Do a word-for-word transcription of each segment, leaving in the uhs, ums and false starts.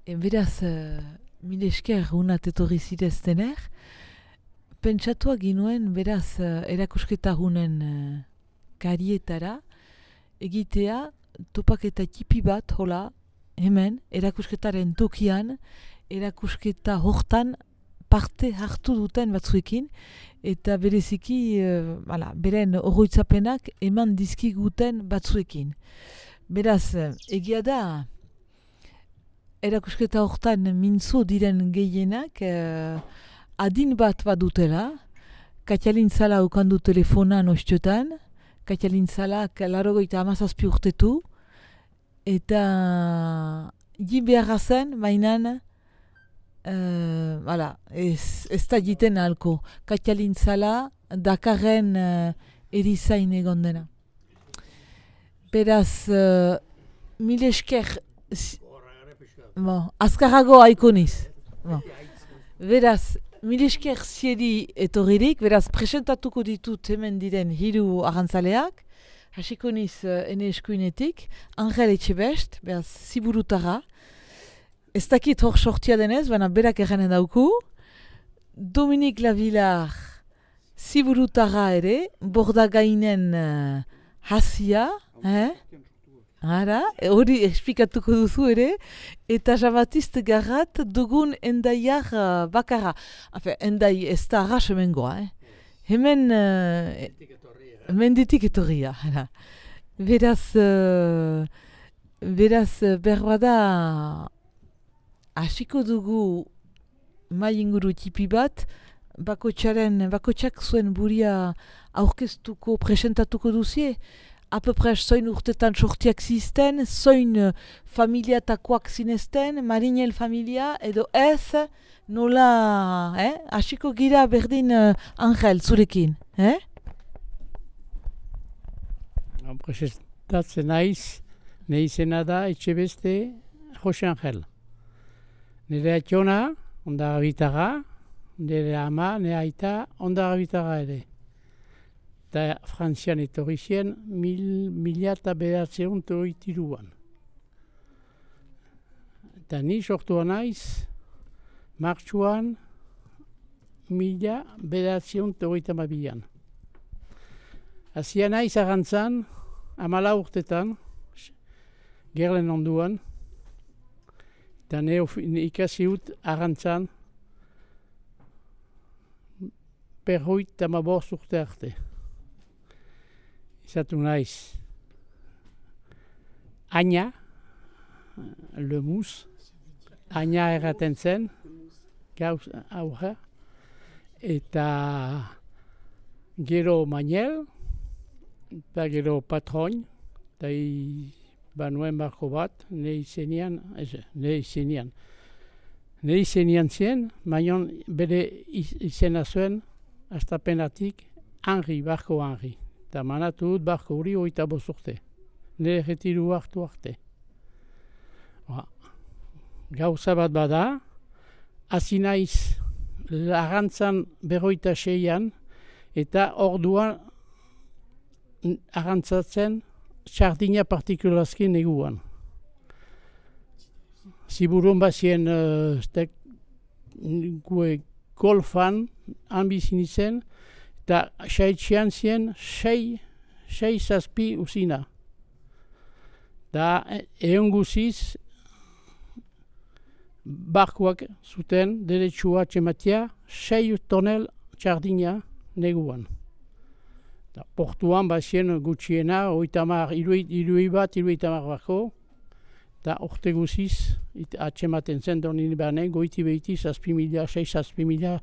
E, beraz, uh, mil esker unat etorri zireztener, pentsatuak ginuen, beraz, uh, erakusketa hunen uh, karietara, egitea topaketa tipi bat, hola, hemen, erakusketaren tokian, erakusketa hortan parte hartu duten batzuekin, eta bereziki, uh, ala, beren oroitzapenak eman dizkiguten batzuekin. Beraz, egia da, erakusketa hortan mintzo diren gehienak, uh, adin bat badutela, Katialin Zala ukandu telefonan ostiotan, Katialin Zalak larogeita hamazazpi urtetu, eta jin beharra zen, mainan, uh, voilà, ez, ez da jiten ahalko. Katialin Zala Dakarren uh, erizain egon dena. Beraz, uh, mil esker, bon, azkarrago haikoniz. Bon. Beraz, mil esker zieri etorririk, beraz, presentatuko ditut hemen diren hiru arrantzaleak, hasiko niz uh, ene eskuinetik, Angel Etxebest, beraz, ziburutara, ez dakit hor sortia denez, baina berak erranen dauku, Dominik Lavilar, ziburutara ere, Bordagainen uh, hasia, eh? Ara, hori esplikatuko duzu ere, eta Jean-Baptiste Garrat dugun endaiar uh, bakarra. Hafe, endai ez da arras hemen goa, eh? Hemen... Uh, menditik etorria. Beraz, uh, beraz, berbada, hasiko dugu mai inguru tipi bat, bakotxaren, bakotxak zuen buria aurkeztuko, presentatuko duzie, apepres zoin urtetan sortiak zizten, zoin uh, familiatakoak zinezten, Marinel familia, edo ez, nola, eh? Hasiko gira berdin uh, Angel, zurekin, eh? Presentatzen naiz, ne izena da Etxebeste Jose Angel. Nire atxona, ondara bitara, nire ama, nire aita, ondara bitara ere. Eta Frantzian etorri zien, mil, mila eta behatzeun toitiruan. Eta ni sortua naiz, martxuan, mila behatzeun toita mabian. Azia naiz agantzan, amala urtetan, gerlen onduan, eta ne ikasi ut agantzan, perroit eta maborz urte arte. Izatu naiz, Aina, Lemus, Aina erraten zen, gauz aurra, eta gero Manuel, eta gero Patroin, eta banuen barko bat, ne izenian, ez, ne izenian. Ne izenian zien, mainon bere izena zuen, astapenatik, Henri, barko Henri. Eta manatu dut barko hori oita bozurte. Nire retiru hartu arte. Ba. Gauza bat bada, hasi naiz arrantzan berroita seian, eta orduan arrantzatzen sardina partikulazki neguan. Ziburun bazien uh, gue golfan hanbizin izen, eta saitxean zien sei, sei zazpi usina. Da egon guziz barkuak zuten deretsua txematia sei tonel txardina neguan. Da, portuan bazien gutxiena, oitamar, irui bat, irui tamar barko, eta orte guziz atxematen zen donin behane, goiti behiti zazpi mila, sei zazpi mila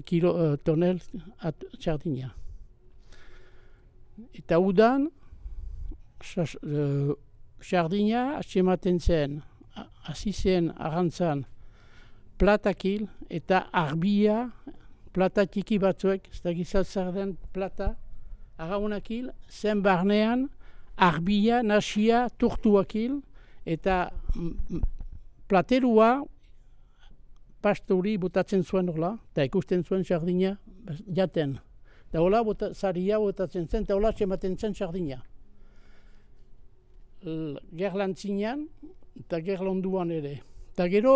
kilo uh, tonel at, txardina. Eta udan, txardina uh, atxematen zen, hasi zen arrantzan platakil eta arbia, plata txiki batzuek, ez da gizatzar den plata, arraunakil, zen barnean arbia, nasia, turtuakil, eta platerua pastori botatzen zuen hola, eta ikusten zuen sardina jaten. Eta hola zaria botatzen zen, eta hola txematen zen sardina. Gerlantzinean, eta gerlonduan ere. Eta gero,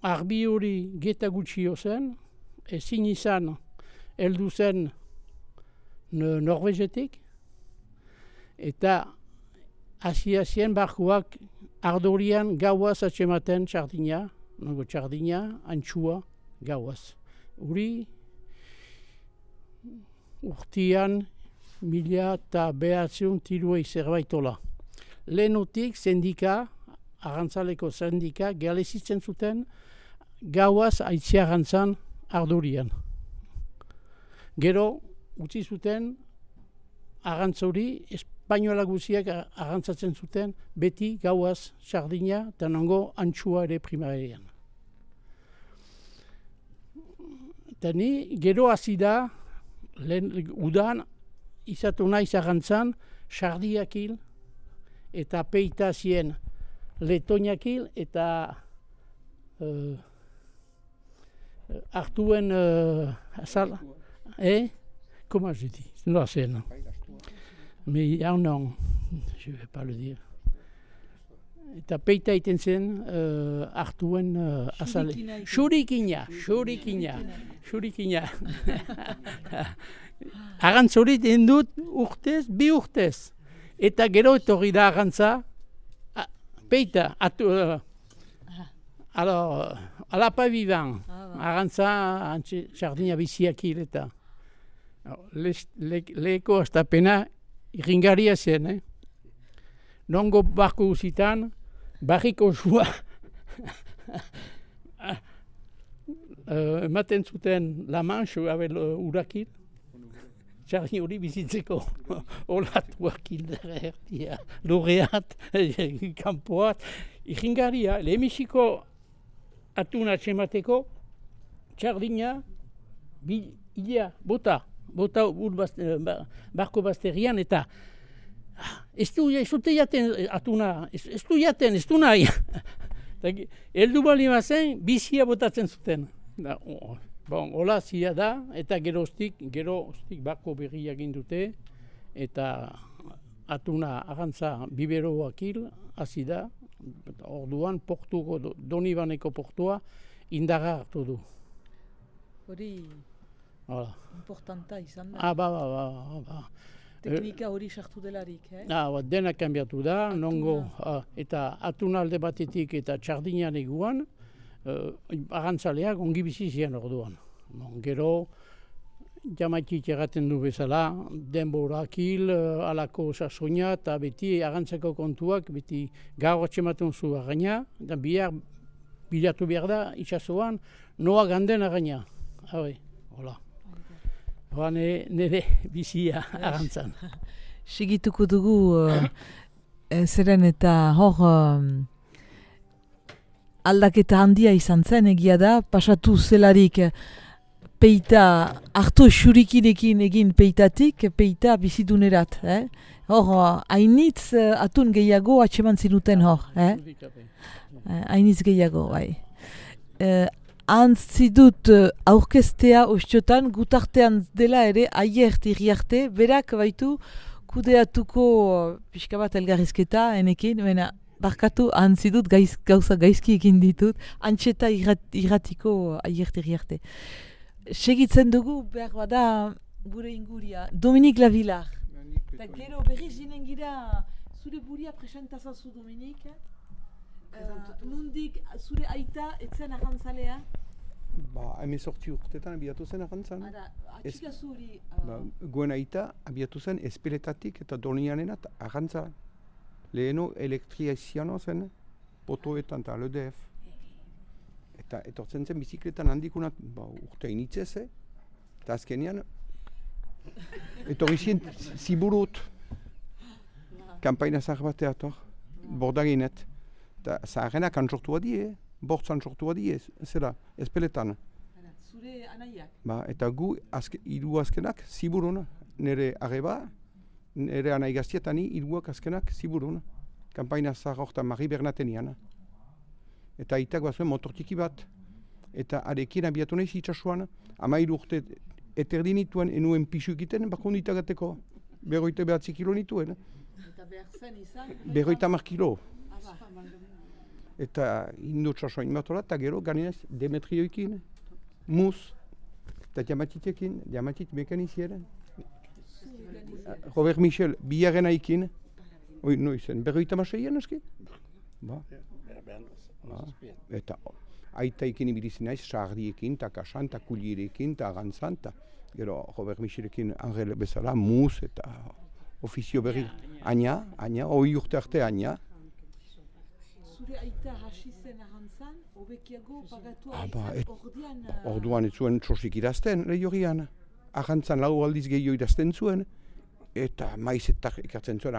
arbi hori geta gutxio zen, ezin izan heldu zen Norvegetik, eta hasi-hasien barkuak ardorian gauaz atxematen txardina, nago txardina, antxua, gauaz. Uri, urtian, mila eta behatziun tiruei zerbaitola. Lehenutik sendika, arrantzaleko sendika, galezitzen zuten gauaz aitziarantzan ardorian. Gero, utzi zuten arrantzori, espainola guziak arrantzatzen zuten beti gauaz sardina eta nango antxua ere primarian. Eta ni gero hasi da, lehen udan izatu naiz arrantzan sardiak hil eta peita zien letoinak hil eta uh, hartuen uh, azala. Eh? Comment je dis? Non, c'est non. Mais il y a un nom, je ne vais pas le dire. Eta peita iten zen uh, hartuen uh, azale. Xurikina, xurikina, xurikina. Arrantzori den dut urtez, bi urtez. Eta gero etorri da arrantza, ah, peita, atu, uh, alors, alapa vivan, arrantza, antxe, sardina biziak hil eta. Leheko astapena irringaria zen, eh? Nongo barko guzitan, barriko zua ematen zuten La Manche abel urakil, txarri hori bizitzeko olatuak hildera erdia, loreat, kanpoat, irringaria, lehemisiko atuna txemateko, txardina, bila, bota, bota barko bazterian eta ez du jaten atuna, ez du jaten, ez du nahi. Eldu bali mazen, bizia botatzen zuten. Bon, hola zia da, eta geroztik, geroztik barko berria egin dute, eta atuna arrantza biberoak hil, hasi da, orduan portuko, Donibaneko portua, indarra hartu du. Hori importanta izan da. Ah, ba, ba, ba, ba. Teknika hori sartu delarik, eh? Ah, ba, dena kanbiatu da, nongo, ah, eta atuna alde batetik eta txardinan eguan, uh, arrantzaleak ongi bizi zian orduan. Bon, gero, jamaitik erraten du bezala, denborak hil, uh, alako sasoina, eta beti arrantzako kontuak, beti gaur atxematen zu arraina, eta bihar, bilatu behar da, itxasoan, noa ganden arraina. Habe, hola. Ba, nire bizia arrantzan. Segituko dugu, uh, zeren eta hor um, aldaketa handia izan zen egia da, pasatu zelarik peita, hartu xurikinekin egin peitatik, peita bizidunerat. Eh? Hor, hainitz uh, atun gehiago atseman zinuten hor. Eh? Hainitz gehiago, bai. Uh, Antzi dut uh, aurkestea ostiotan gutartean dela ere aiert irriarte, berak baitu kudeatuko uh, pixka bat elgarrizketa enekin, baina barkatu antzi dut gaiz, gauza gaizki egin ditut, antxeta irrat, irratiko uh, aiert irriarte. Segitzen dugu behar bada gure inguria, Dominik Lavilar. Eta gero berriz zinen gira zure buria presentazazu Dominik. Uh, nundik zure aita etzen arrantzalea? Ba, hemezortzi urtetan abiatu zen arrantzan. Ara, atxika zuri... Ba, goen aita abiatu zen espeletatik eta Donianenat arrantza. Leheno elektriziano zen, potoetan eta L D F. Eta etortzen zen bizikletan handikunat, ba, urte initzez, eh? Eta azkenean, etorri zien ziburut. Kampaina zahar batea etor, bordaginet. Eta zaharrenak antsortua die, bortz antsortua die, zera, espeletan. Zure anaiak? Ba, eta gu, azke, hiru azkenak, ziburun, nire arreba, nire anai gaztietani, hiruak azkenak, ziburun. Kampaina zahar horretan Mari Bernatenian. Eta aitak bazuen motortiki bat, eta arekin abiatu nahiz itxasuan, amairu urte eterdinituen enuen pixu egiten, bako nitagateko, berroite behatzi kilo nituen. Eta behar zen izan? Berroita mar kilo. eta indutsa soin matola, eta gero ganinez Demetrioekin, Muz, eta Diamatitekin, Diamatit mekaniziera. Robert Michel, biharren aikin, oi, noizen, berroita maseian eski? Ba. Ba. Eta aitaikin ibilitzen naiz, sardiekin, eta kasan, eta kulierekin, eta agantzan, eta gero Robert Michelekin Angel bezala, Muz, eta ofizio berri, Aina, Aina, hoi urte arte Aina. Zure aita hasi zen agantzan, hobekiago pagatua Ah, ba, izan et- ordean... Ba, orduan ez zuen txosik idazten, lehiorian. Agantzan lau aldiz gehiago idazten zuen, eta maiz eta ikartzen zuen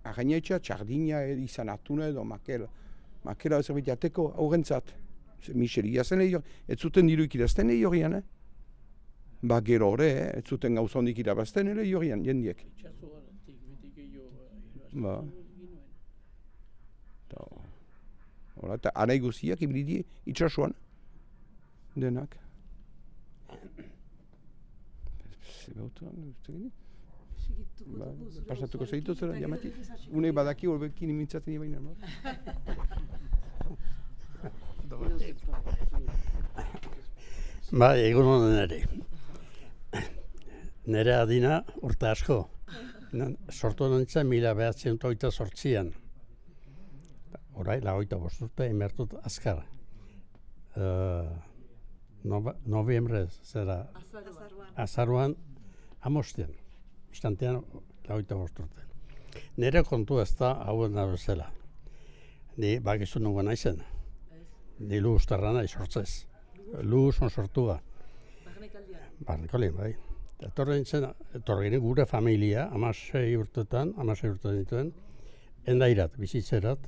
againetxa, txardina izan atuna edo makela. Makela zerbait jateko aurrentzat. Michel iazen lehior, ez zuten diruik idazten lehiorian, eh? Ba gero hori, eh? Ez zuten gauza hondik irabazten lehiorian, jendiek. Ba. Eta, hola, eta anai guziak ibili itxasuan, denak. Zebautuan, ez tegin? Segituko Ba, dugu zure pasatuko osoarekin, zeitu zera, eta Diamati. gero ez hasiko Une dira. badaki horbekin imintzaten ibaina, no? Ba, egun honen ere. Nere adina urte asko. Nan- Sortu nintzen mila behatzen oita sortzian. Horai, lagoita bosturte, emertut azkar. Uh, Noviembre, zera, azaruan, amostian. Istantean, lagoita bosturte. Nere kontu ez da hauen bezala. Ni bakizu nungo naizen. Ni lu ustarra nahi sortzez. Lu son sortua. Barnekalien, bai. Etorri nintzen, etorri ginen gure familia, amasei urtetan, amasei urte dituen, endairat, bizitzerat,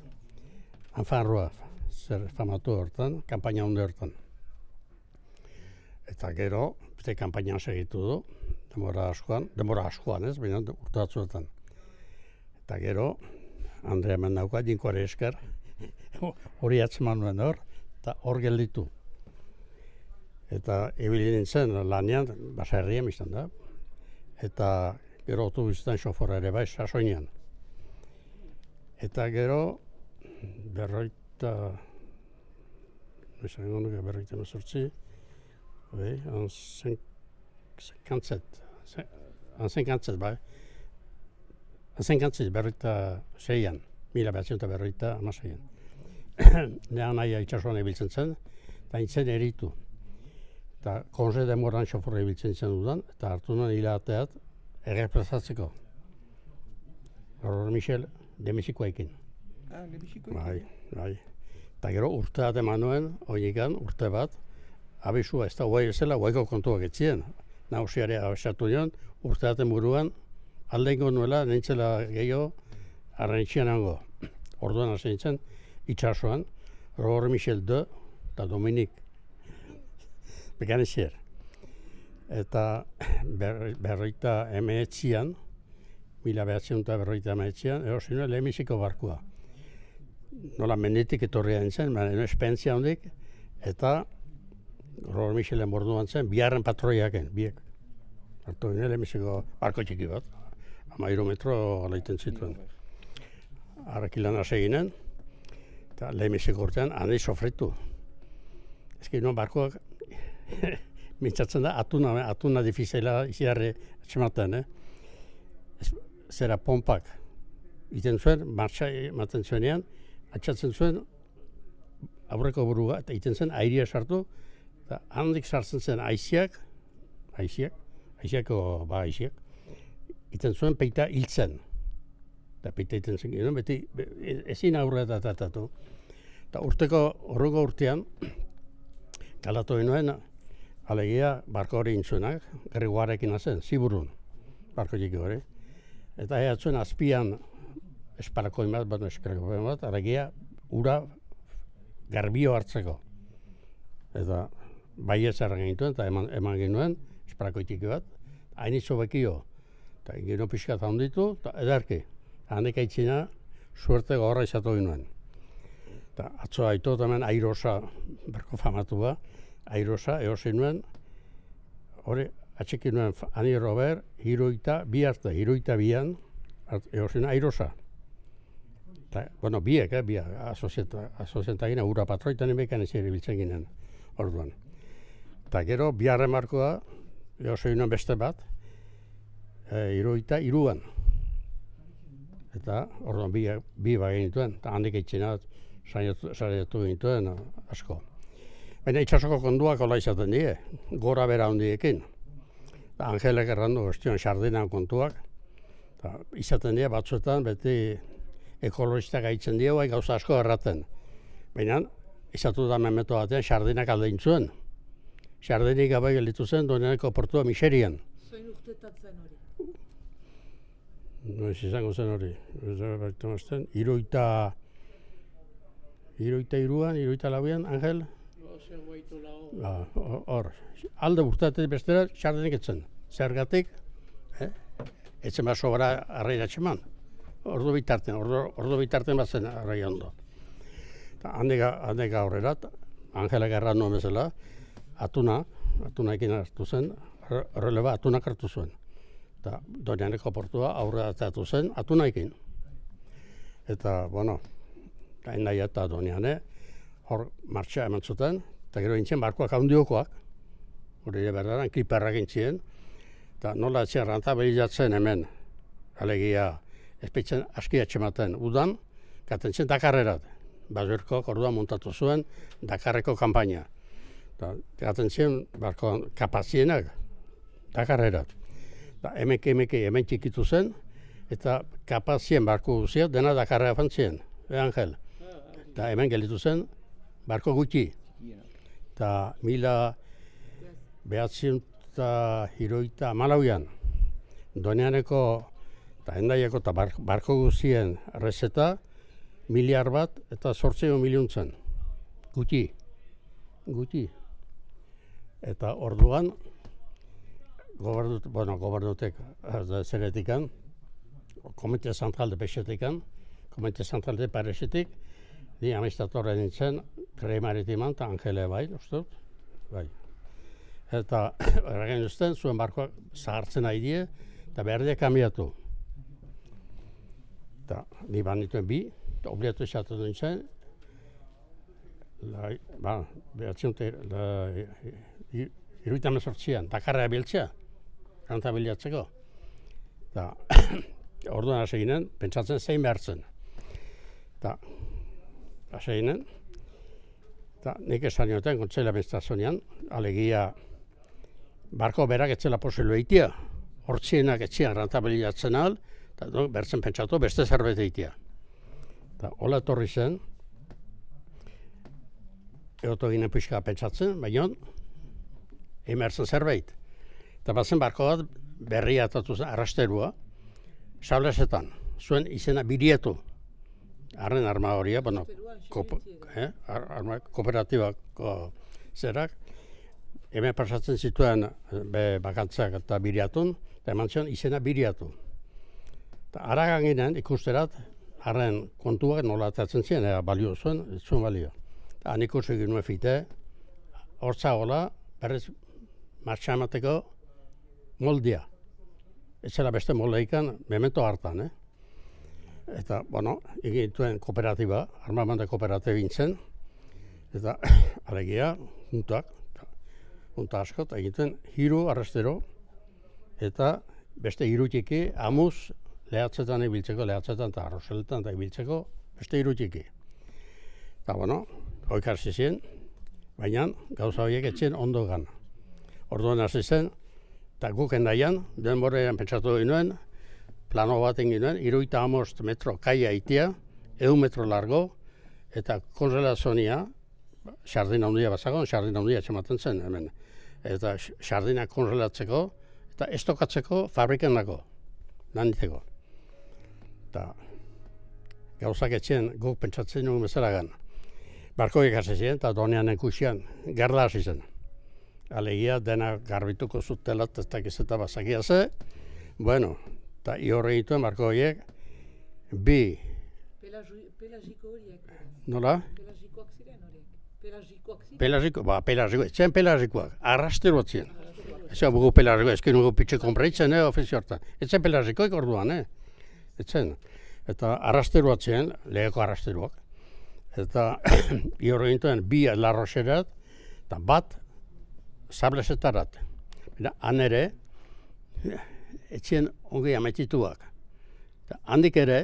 anfarroa, zer famatu hortan, kampaina hunde hortan. Eta gero, beste kampainan segitu du, denbora askoan, denbora askoan ez, baina urte batzuetan. Eta gero, Andrea hemen dauka, jinkoare esker, hori atzeman nuen hor, eta hor gelditu. Eta ibili nintzen lanean, baserrian biztan da. Eta gero autobusetan xofora ere bai, sasoinean. Eta gero, berroita, esan nuke berroita mazortzi, bai, anzen kantzet, anzen kantzet, bai. Anzen kantzet berroita seian, mila behatzen eta berroita amaseian. Nean nahi itxasuan ebiltzen zen, eta nintzen eritu. Eta konze demoran xoforra ibiltzen zen dudan, eta hartu nuen hilateat errepresatzeko. Robert Michel demizikoekin. Ah, lebisiko. Bai, bai. Eta gero urteat eman nuen, oinikan, urte bat, abisua ez da guai ezela, guaiko kontuak etzien. Nausiare abesatu nion, urteaten buruan, aldeingo nuela, nintzela gehiago, arraintxian hango. Orduan hasi nintzen, itxasoan, Robert Michel de, eta Dominik Bekanizier. Eta ber, berroita emeetzian, mila behatzen eta berroita emeetzian, erosi nuen lehenbiziko barkua. Nola menditik etorria nintzen, baina espentzia hondik, eta Robert Michelen borduan zen, biharren patroiaken, biek. Hartu ginen lehenbiziko barko txiki bat, amairu metro galaiten zituen. Arrakilan hasi ginen, eta lehenbiziko urtean, handi sofritu. Ezki nuen barkoak, mintzatzen da, atuna, atuna difizela iziarri atxematen, eh? Ez, zera pompak. Iten zuen, martxa ematen zuenean, atxatzen zuen aurreko burua, eta iten zen airia sartu, eta handik sartzen zen aiziak, aiziak, aiziako ba aiziak, iten zuen peita hiltzen. Eta peita iten zen ginen, beti be, ezin aurre eta tatatu. Eta urteko, horreko urtean, kalatu ginoen, alegia barko hori intzuenak, gerriguarekin hazen, ziburun, barko txiki hori. Eta ehatzuen azpian esparakoin bat, bat esparakoin bat, alegia ura garbio hartzeko. Eta baietz erran gintuen, eta eman, eman ginoen, esparako txiki bat, hainitzo bekio. Eta gino pixkat handitu, eta edarki. Handik aitzina, suerte gogorra izatu ginoen. Eta atzo haitu hemen airosa, berko famatua, airosa, eosin nuen, hori atxekin nuen Ani Robert, hiruita, bi arte, hiruita bian, eosin airosa. Ta, bueno, biek, eh, biak, asozientagina ura patroitan emekan ez ere biltzen ginen, orduan. Eta gero, biharren markoa, oso inoen beste bat, e, iruita iruan. Eta orduan bi, bi bagin dituen, eta handik eitxinat, saietu gintuen asko. Baina itxasoko konduak hola izaten die, gora bera handiekin. Angelek errandu guztion sardinan kontuak, eta izaten die batzuetan beti ekologistak gaitzen die, bai gauza asko erraten. Baina izatu da memeto batean sardinak aldein zuen. Sardinik gabe gelditu zen Doñaneko portua miserian. Zoin urtetatzen hori? Noiz izango zen hori. Iruita... Iruita iruan, iruita lauean, Angel? Ba, hor, alde urteatik bestera, sardinik etzen. Zergatik, eh? Etzen bat sobra arrairatxe man. Ordu bitarten, ordu, ordu bitarten bat zen arrai ondo. Handik aurrera, Angelak erran nuen bezala, atuna, atunaekin hartu zen, releba atunak hartu zuen. Eta Doñaneko portua aurrera atatu zen, atunaekin. Eta, bueno, hain nahi eta Doñane, hor martxa eman zuten, eta gero intzen barkoak handiokoak, hori ere berdaran, kliperrak intzien, eta nola etxen rentabilizatzen hemen, alegia, espeitzen aski atxematen udan, gaten zen Dakarrerat. Basurkok orduan montatu zuen Dakarreko kanpaina. Gaten zen barko kapazienak Dakarrerat. Emeke emeke hemen txikitu zen, eta kapazien barko guzia dena Dakarra fantzien, e Angel. Eta hemen gelditu zen barko gutxi. Eta mila behatzen eta hiroita amalauian, Doñaneko eta Hendaiako eta barko guzien rezeta, miliar bat eta zortzeio miliuntzen. Guti. Guti. Eta orduan, gobernut, bueno, gobernutek zeretikan, Komite Zentral de Pexetikan, Komite Zentral de Paresetik, ni amistatorra nintzen, Krei Maritiman eta Angele bai, ustut, bai. Eta erragen duzten, zuen barkoak zahartzen nahi die, eta behar die kambiatu. Eta ni ban dituen bi, obliatu izatu nintzen, ba, behatzen dute, iruita mezortzian, Dakarra biltzea, rentabiliatzeko. Eta orduan hasi ginen, pentsatzen zein behartzen. Eta hasi ginen, eta nik esan nioten, kontzela administrazioan, alegia, barko berak etzela posible eitia, hortzienak etxean rentabiliatzen ahal, eta no, bertzen pentsatu beste zerbait eitia. Eta hola etorri zen, egoto ginen pixka pentsatzen, baina emertzen zerbait. Eta bazen barko bat berria atatu zen arrasterua, sablesetan, zuen izena birietu. Arren arma horia, bueno, kop, eh, arma kooperatibako zerak, hemen pasatzen zituen be bakantzak eta biriatun, eta eman zion izena biriatu. Eta aragan ginen ikusterat, arren kontuak nola atatzen ziren, ea balio zuen, ez zuen balio. Eta han ikusi ginen fite, hortza gola, berrez martxa emateko moldia. Ez zela beste moldeikan, memento hartan, eh? Eta, bueno, egin duen kooperatiba, armamende kooperatiba bintzen, eta alegia, juntak, junta asko, eta egin duen hiru arrastero, eta beste hiru txiki, amuz, lehatzetan ibiltzeko, lehatzetan eta arrozeletan eta ibiltzeko, beste hiru txiki. Eta, bueno, hoik hasi zen, baina gauza horiek etxen ondo gana. Orduan hasi zen, eta guk endaian, denborean pentsatu ginen, plano bat egin ginen, iruita amost metro kaia itia, eun metro largo, eta konzelazonia, sardina handia bazagon, sardina handia txematen zen hemen. Eta sardina konzelatzeko, eta estokatzeko fabriken dago, naniteko. Eta gauzak etxen guk pentsatzen nugu bezalagan. Barkoik hasi ziren, eta Doñanen kuxian, garda hasi zen. Alegia dena garbituko zutelat ez dakiz eta bazakia ze. Bueno, eta ihorre dituen barko horiek, bi... Pelagiko horiek. Nola? Pelagikoak ziren horiek. Pelagikoak ziren. Pelagiko, ba, pelagiko, etzen pelagikoak, arrastero zien. Ez bugu pelagiko, ez nugu pitxe konpreitzen, eh, ofizio hortan. Etzen pelagikoik orduan, eh? Etzen. eta arrasteruat ziren, leheko arrasteruak. Eta ihorro gintuen bi larroxerat, eta bat sablesetarat. Han ere, etxien ongi amaitituak. Handik ere,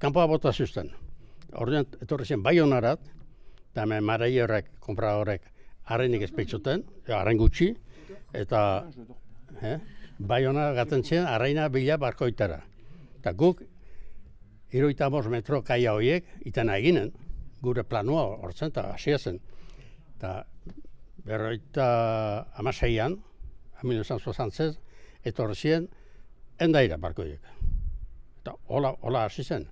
kanpoa bota zuzten. Ordean, etorri zen Baionarat, eta hemen marai horrek, kompra horrek, harrenik ezpeitzuten, harren gutxi, eta eh, Baiona gaten zen, harreina bila barkoitara. Eta guk, hirurogeita bost metro kaia horiek, itena eginen, gure planua hortzen, eta hasia zen. Eta berroita amaseian, mila novecientos sesenta, etorri ziren, endaira barkoiek. Eta hola, hola hasi zen.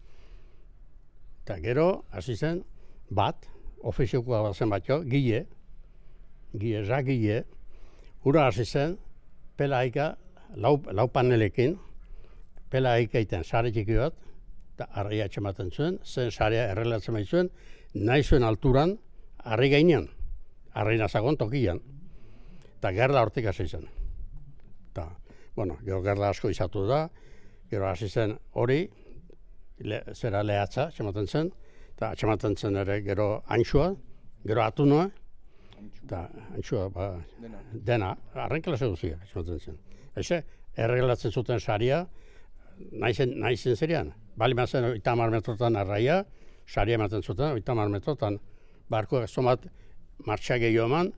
Eta gero, hasi zen, bat, ofiziokoa bat zen batio, gile, gile, ja gile, ura hasi zen, pelaika, lau, lau panelekin, pelaika iten sare txiki bat, eta arraia atxematen zuen, zen sarea errelatzen behit zuen, nahi zuen alturan, arri gainean, arri nazagon tokian. Eta gerla hortik hasi zen. Eta, bueno, gero gerla asko izatu da, gero hasi zen hori, le, zera lehatza, atxematen zen, eta atxematen zen ere gero antxua, gero atunoa, eta antxua, ba, dena, dena arren klase guztiak atxematen zen. Eze, erreglatzen zuten saria, nahi zen, nahi zen zerian. Bali mazen oita hamar metrotan arraia, saria ematen zuten, oita hamar metrotan, barkoak zomat martxa gehiago eman,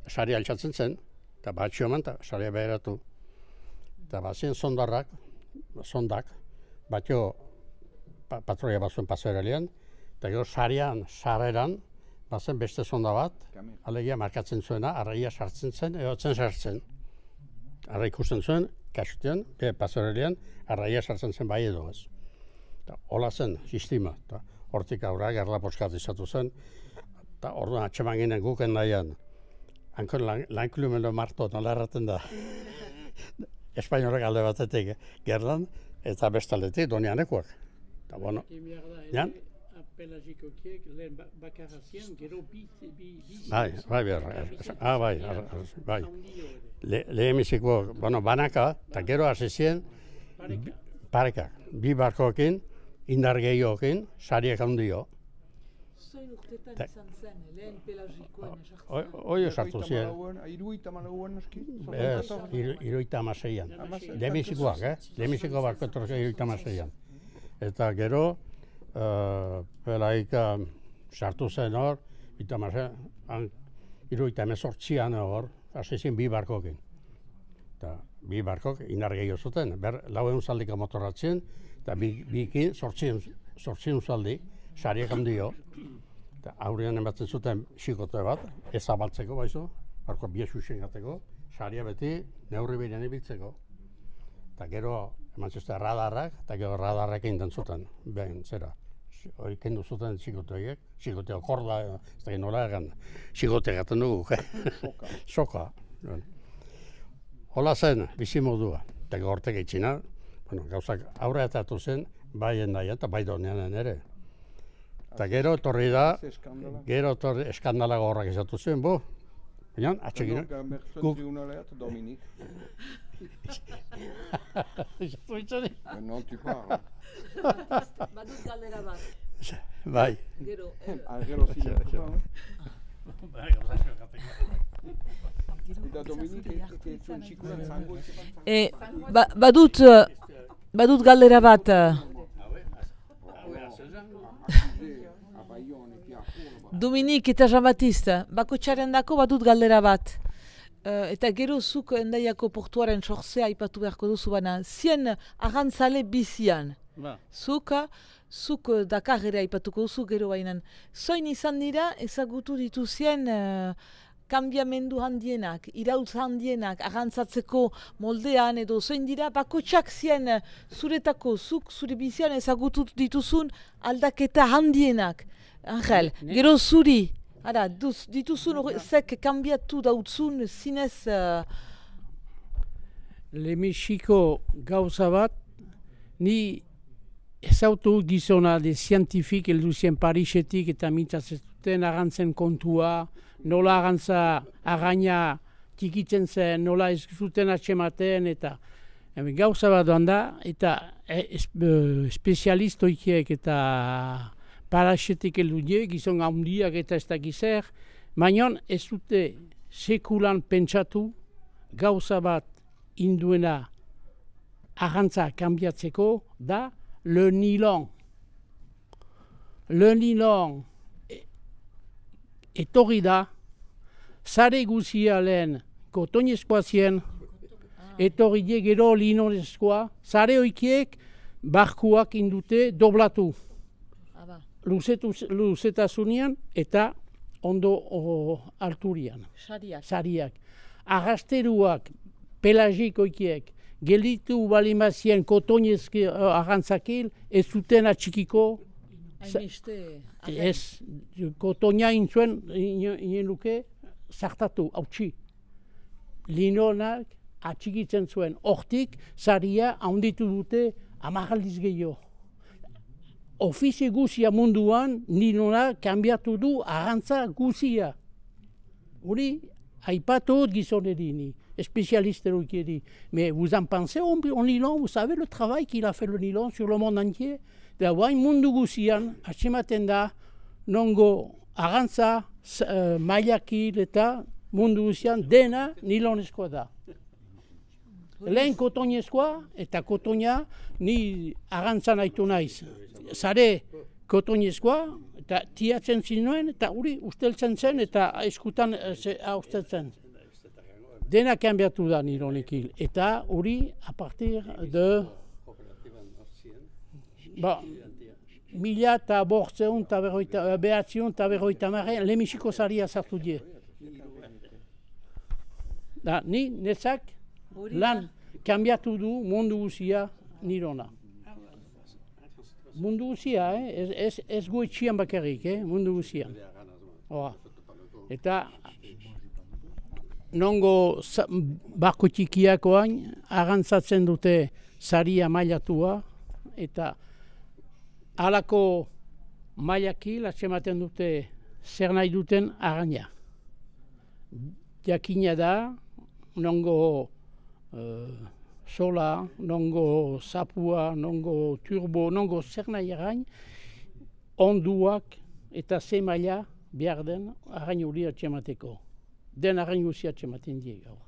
saria altxatzen zen, eta batxio eman, eta saria beheratu. Eta bazien sondarrak, sondak, batxio pa, patroia bazuen pasoeralian, eta gero sarian, sarreran, bazen beste sonda bat, alegia markatzen zuena, arraia sartzen zen, egotzen sartzen. Arra ikusten zuen, kasutean, e, pasoeralian, arraia sartzen zen bai edo ez. Eta hola zen, sistema, eta hortik aurra gerla poskat izatu zen, eta orduan atxeman ginen guken nahian, hankon lankulumelo marto, nola erraten da, espainorak alde batetik gerlan, eta bestaldetik donianekoak. Eta bueno, jan? Pelagikokiek lehen bakarra zian, gero bi... Bai, bai, ah, bai, bai. Lehemiziko, bueno, banaka, eta gero hasi ziren, pareka, bi barkoekin, indar gehiokin, sariak handio. Zoin urtetan izan zen, lehen pelagikoen esartzen? Hoi esartu ziren. Hiruita malauan eski? Ez, hiruita amaseian. Lehemizikoak, eh? Lehemiziko barko etorrezio hiruita amaseian. Eta gero, Uh, pelaika sartu zen hor, eta marzen, hirurogeita hemezortzian hor, hasi zen bi barkokin. Eta bi barkok indar gehiago zuten, ber lau egun zaldika motorratzen, eta bi, bikin zortzion zaldi, sariak handio. Eta aurrean ematen zuten xikote bat, ez abaltzeko baizu, barko biesu xengateko, saria beti neurri behinean ibiltzeko. Eta gero, eman zuzte radarrak, eta gero radarrak egin zuten, behin zera. Hori kendu zuten xikote horiek, xikote okorda, ez da nola egan, xikote gaten dugu, soka. Soka. Hola zen, bizimodua, eta gortek eitxina, bueno, gauzak aurre atatu zen, bai endaian eta bai donean ere. Eta gero etorri da, gero etorri eskandala gorrak izatu zen, bo, baina, atxekin. Guk. Dominik. Izatu itxari. Non tu parla. Badut galdera bat. Bai. Gero, Gero zila. Bai, gauzak gateko. Eta Dominik, zuen txikuran zango bat? Badut, badut galdera bat. Dominik eta Jean-Baptiste, bako txaren dako badut galdera bat. Uh, eta gero zuk endaiako portuaren sortzea ipatu beharko duzu baina, zien arrantzale bizian. Ba. Zuk, zuk Dakar ere ipatuko duzu gero bainan. Zoin izan dira ezagutu dituzien uh, kanbiamendu handienak, iraultza handienak, arrantzatzeko moldean edo zoin dira bakotxak zien zuretako, zuk zure bizian ezagutu dituzun aldaketa handienak. Angel, ne? Gero zuri. Ara, duz, dituzun horrezek kanbiatu dautzun zinez... Uh... Lemexiko gauza bat, ni ezautu gizona de zientifik elduzien Parisetik eta mintzatzen arrantzen kontua, nola arrantza arraina tikitzen zen, nola ez zuten atxematen eta Hemen gauza bat doan da, eta espezialistoikiek eta paraxetik eludie, gizon handiak eta ez dakizer, baina ez dute sekulan pentsatu gauza bat induena arrantza kanbiatzeko da le nilon. Le nilon etorri da, sare guzia lehen kotonezkoa zien, etorri die gero linonezkoa, sare hoikiek barkuak indute doblatu. Luzetasunean eta ondo o, alturian. Sariak. Sariak. Arrasteruak, pelagikoikiek, gelditu balimazien kotonezki uh, arrantzakil, ez zuten atxikiko. Hainbeste. Ez, kotonia intzuen, inen luke, zartatu, hautsi. Linonak atxikitzen zuen. Hortik, saria handitu dute amagaldiz gehiago. Ofizie guzia munduan, nilona kanbiatu du arrantza guzia. Hori, aipatu gizonerini, spécialiste-eri. Mais vous en pensez au nylon, vous savez le travail qu'il a fait le nylon sur le monde entier? Da guain mundu guzian, atxematen da, nongo arrantza, uh, mailakil eta mundu guzian dena nilonezkoa da. Lehen kotonezkoa eta kotonia ni arrantzan haitu naiz. Zare kotonezkoa eta tiatzen zinuen eta hori usteltzen zen eta eskutan usteltzen. Dena kanbiatu da nilonekin. Eta hori a partir de ba, mila eta bortzeun eta behatziun eta berroita marren lemixiko zaria sartu die. Da, ni netzak lan kanbiatu du mundu guzia nilona. Mundu guzia, eh? ez, ez, ez goetxian bakarrik, eh? Mundu guzian. Oa. Eta nongo barko txikiakoan arrantzatzen dute saria mailatua eta halako mailakil atxematen dute zer nahi duten arraina. Jakina da, nongo uh, sola, nongo sapua, nongo turbo, nongo zer nahi arrain, onduak eta ze maila behar den arrain hori atxemateko. Den arrain guzia atxematen die gaur.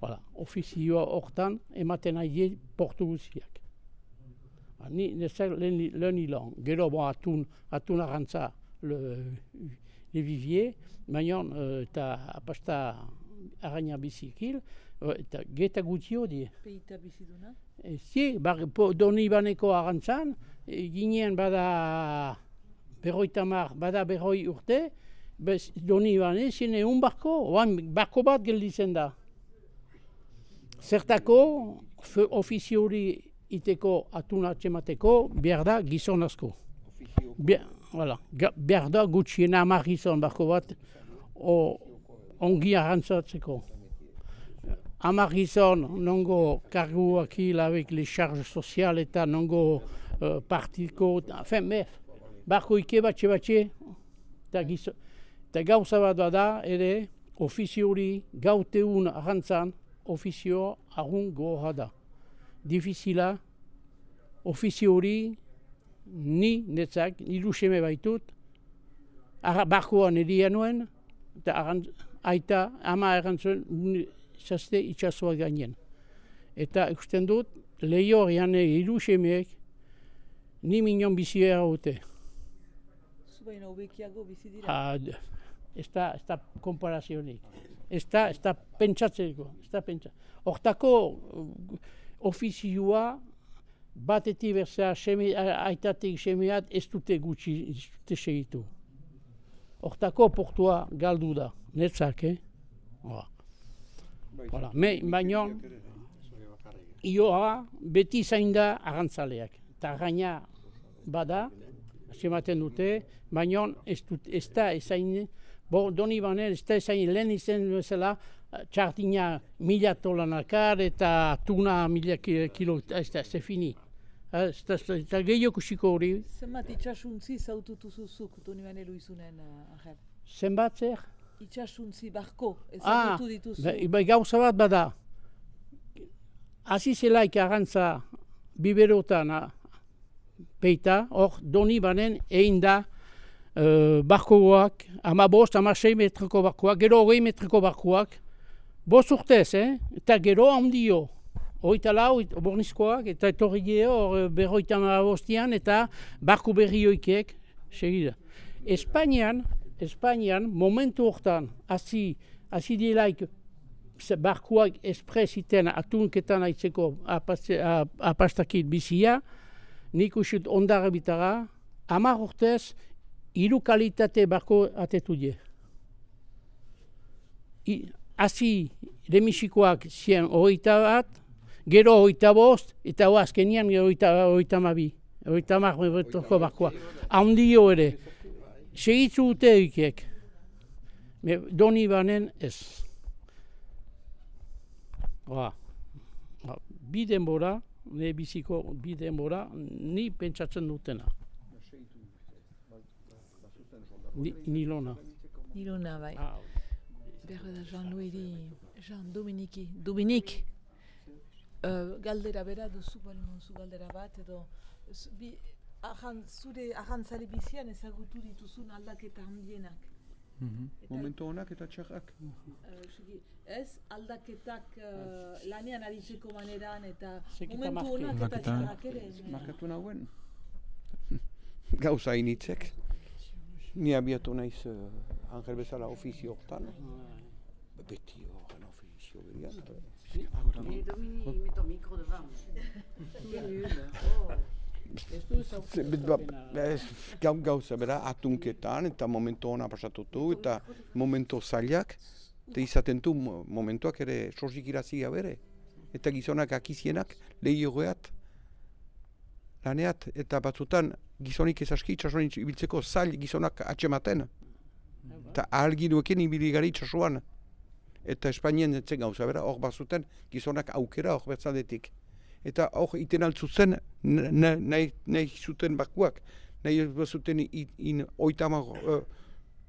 Voilà. Ofizioa hortan ematen nahi die portu guziak. Ni nezer le nilon, gero bon, atun, atun arrantza le, le vivier, baina eta apasta arraina bizikil, eta geta gutio die. Peita biziduna? E, zi, bar, po, doni baneko arrantzan, e, ginen bada berroita mar, bada berroi urte, bez, doni bane, zine un barko, oan barko bat gelditzen da. Zertako, ofiziori iteko atuna atxemateko, behar da gizon asko. Be, voilà, behar da gutxien hamar gizon barko bat, o, ongi arrantzatzeko. Hamar gizon, nongo karguak hil avec les charges sociales eta nongo uh, partiko, enfin, mef, barko ike batxe batxe, eta gizon. Eta gauza bat da, ere, ofiziori gauteun arrantzan, ofizio argun goha da. Difizila, ofiziori, ni netzak, niru seme baitut, barkoan edia nuen, eta aita, ama errantzuen, zazte itxasoa gainen. Eta ikusten dut, lehiorean hiru semeek, ni minon biziera dute. Zubaina hobekiago bizi dira? Ez da, ez da komparazionik. Ez da, ez da pentsatzeko, ez da pentsatzeko. Hortako ofizioa batetik berzea aitatik semeat ez dute gutxi, ez dute segitu. Hortako portua galdu da, netzak, eh? Voilà. Me, baina, ioa beti zain da arrantzaleak. Eta gaina bada, asematen dute, baina ez, dut, ez da ezain, bo, doni banen, ez da ezain lehen izen bezala, txartina mila tolanakar eta tuna mila kilo, ez da, ez fini. Eta gehiago kusiko hori. Zenbat itxasuntzi zaututu zuzuk, doni banen luizunen, Angel? Zenbat zer? Itxasuntzi barko, ez ah, zaututu dituzu. Ba, ba, gauza bat bada. hasi zelaik arrantza biberotan peita, hor doni banen egin da uh, barkoak, ama bost, ama sei metroko barkoak, gero hogei metroko barkoak, bost urtez, eh? Eta gero handio. Hoita lau, bornizkoak, eta etorri geho, berroita bostian, eta barko berri hoikek, segida. Espainian, Espainian, momentu hortan, hasi, hasi dielaik, barkoak espresiten atunketan aitzeko apastakit bizia, nik usut ondara bitara, hamar urtez, hiru kalitate barko atetu die. Hasi, lemisikoak zien hogeita bat, gero hogeita bost, eta hoa azkenian hogeita mabi, hogeita mar metroko barkoa. Handio ere, segitzu dute eukek, doni banen ez. Ba, bi denbora, ne biziko bi denbora, ni pentsatzen dutena. Ni, nilona. Nilona, bai. Ah, berre da Jean-Louis, Jean-Dominiki, Dominik. Uh, galdera bera duzu duzu galdera bat edo bi, ahan, zure ahantzari bizian ezagutu dituzun aldaketa handienak. Mm-hmm. Momentu honak eta txarrak. Uh, ez aldaketak uh, lanean aritzeko maneran eta momentu honak eta txarrak ere. Markatu nahuen. Gauza initzek. Ni abiatu naiz uh, Angel bezala ofizio hortan. Beti horren ofizio berian. Et Dominique, met ton micro devant. Gauza bera, atunketan eta momentu hona pasatutu eta momentu zailak eta izaten du momentuak ere sosik irazia bere eta gizonak akizienak lehiogeat laneat eta batzutan gizonik ezaski itxasuan ibiltzeko zail gizonak atxematen eta ahalginuekin ibiligari itxasuan. Eta Espainien zen gauza bera, hor bazuten gizonak aukera hor bertzaldetik. Eta hor iten altzutzen nahi zuten barkuak, nahi bazuten oitama uh,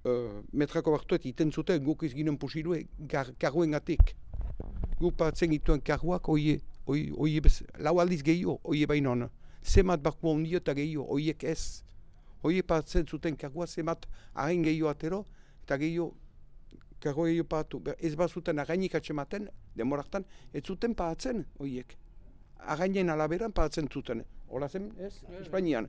uh, metrako bartuet iten zuten guk ez ginen pusilue karruen gatik. Guk batzen gituen karruak oie, oie, oie bez, lau aldiz gehiago, oie bainon. Zemat barkua ondio eta gehiago, oiek ez. Oie batzen zuten karrua zemat hain gehiago atero eta gehiago karro gehiago pahatu. Ez bazuten againik atxematen, demoraktan, ez zuten pahatzen oiek. Againen alaberan pahatzen zuten. Hola zen, ez? Espainian.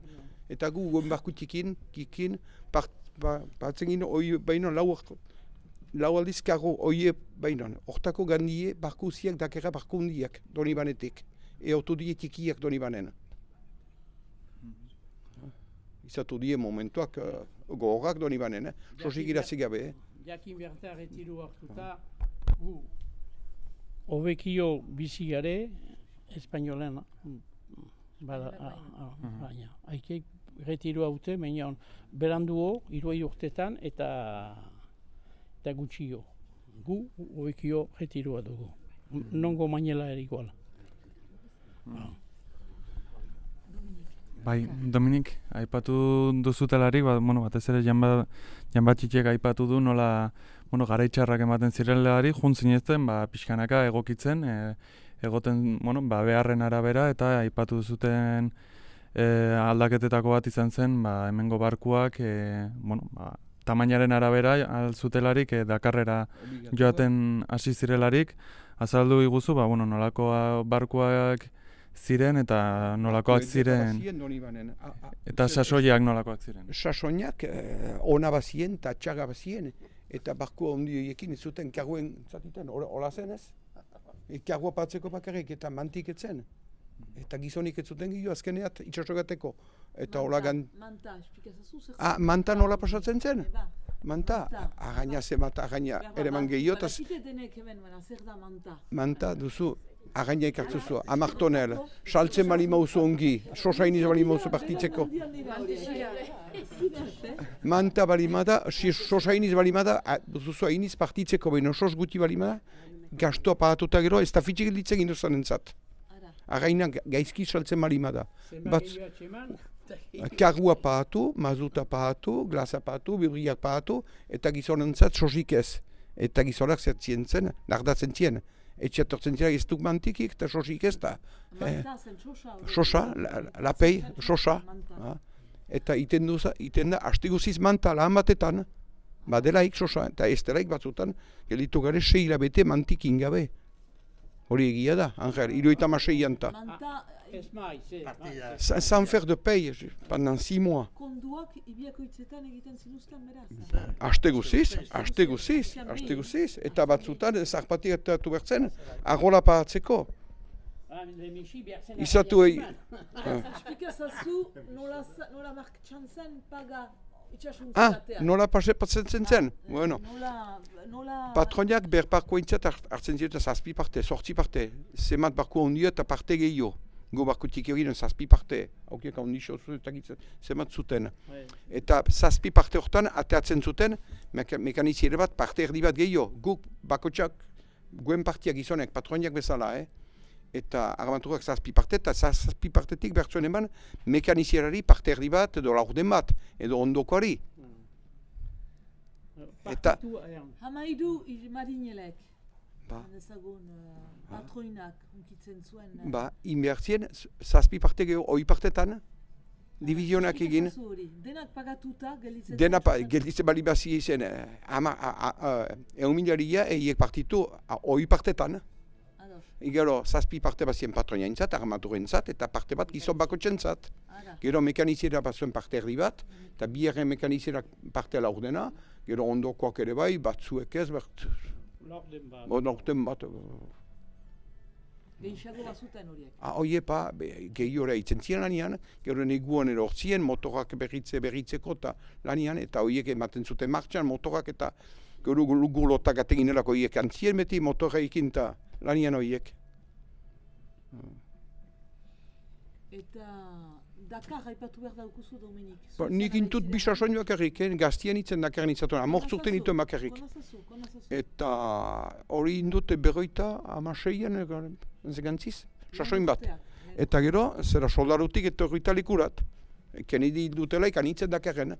Eta gu guen barkutikin, kikin, pahatzen ginen oie bainon lau lau aldiz karro oie bainon. Hortako gandie barku ziak dakera barku hundiak doni banetik. Eotu die tikiak doni banen. Izatu die momentuak uh, gogorak doni banen, eh? Sosik irazi gabe, eh? Jakin berta retiru hartuta, gu hobekio bizi gare, espainolen, bada, baina, haikeik retiru haute, baina beranduo, iruai urtetan, eta eta gutxio. Gu hobekio retirua dugu. Nongo mainela erikoala. Bai, Dominik, aipatu duzutelarik, ba, bueno, batez ere janbatxitxek aipatu du nola bueno, garaitxarrak ematen zirelarik, juntzinezten, ba, pixkanaka egokitzen, e, egoten bueno, ba, beharren arabera, eta aipatu duzuten e, aldaketetako bat izan zen, ba, hemengo barkuak, e, bueno, ba, tamainaren arabera alzutelarik, e, Dakarrera joaten hasi zirelarik, azaldu iguzu, ba, bueno, nolako barkuak ziren eta nolakoak ziren, eta sasoiak nolakoak ziren. Sasoiak eh, ona bazien eta txaga bazien, eta barkua ondioiekin ez zuten karguen zatiten, hola zen ez? Kargua patzeko bakarrik eta mantik etzen. Eta gizonik ez zuten gio azkeneat itxasogateko. Eta hola gan... Manta, espikazazu zer... Ah, manta nola pasatzen zen? Manta? Againa zemat, againa ere man gehiotaz... Barakite denek hemen, zer da manta? Manta duzu, againa ikartzuzu, amartonel, saltzen bali mauzu ongi, sosainiz bali mauzu partitzeko. Manta bali mada, sosainiz bali mada, duzu hainiz partitzeko behin, sos guti bali mada, gastoa pahatuta gero, ez da fitxik ditzen induzan entzat. Againa gaizki saltzen bali mada. Kargua pahatu, mazuta pahatu, glasa pahatu, bibriak pahatu, eta gizonentzat sosik ez. Eta gizonak zertzien zen, nardatzen zien. etxe etortzen zira ez duk mantikik, eta sosik ez da. Manta zen, xosa. Sosa, lapei, sosa. Eta iten da, haste guziz manta lahan batetan, badelaik sosa, eta ez delaik batzutan, gelitu gare sei hilabete mantik ingabe. Hori egia da, Angel, hirurogeita hamasei anta. Sans faire de paye, pendant six mois. Konduak ibiakoitzetan egiten zinuzten beraz? Haste guziz, haste guziz, haste guziz. Eta batzutan, zarpati eta bertzen, agola paratzeko. Izatu egin. Esplikazazu nola marktxan zen paga Ah, nola pasatzen zen? Bueno. Patroniak berparko intzat hartzen ziren zazpi parte, sortzi parte. Zemat barko ondia eta parte gehiago. Go barkotik egin zazpi parte. Haukiak ondixo zemat zuten. Eta zazpi parte hortan ateatzen zuten mekaniziere bat parte erdi bat gehiago. Guk bakotxak, guen partiak gizonek, patroniak bezala, eh? Eta armaturak zazpi parte, eta zazpi partetik bertzuen eman mekanizierari parte erdi bat edo laurden bat, edo ondokoari. Eta... Hamaidu marinelek, ezagun patroinak unkitzen zuen. Ba, inbertzien zazpi parte geho, oi partetan, divizionak egin. Denak pagatuta gelditzen? Denak gelditzen bali bazi izen, egun miliaria eiek partitu oi partetan. Gero, zazpi parte bat zien patronia entzat, armaturen entzat, eta parte bat gizon bakotxen entzat. Gero, mekaniziera bat zuen parte erdi bat, eta biherren mekaniziera parte laurdena, gero ondokoak ere bai, batzuek ez, bat... Laurden bat. Gehiago bazuten horiek? Horiek pa, gehiore itzen ziren lanian, gero neguan erortzien, motorak berritze berritzeko eta lanian, eta horiek ematen zuten martxan, motorak eta gero gulotak ategin erako horiek antzien beti, motorreikin eta lanian horiek. Eta Dakar haipatu behar daukuzu, Dominik? Nik intut bisasoin bakarrik, gaztien itzen Dakar nitzatuen, amortzurten ituen bakarrik. Eta hori indut berroita amaseian, gantziz, sasoin bat. Eta gero, zera soldarutik eta horrita likurat. Kennedy dutela ikan itzen Dakarren.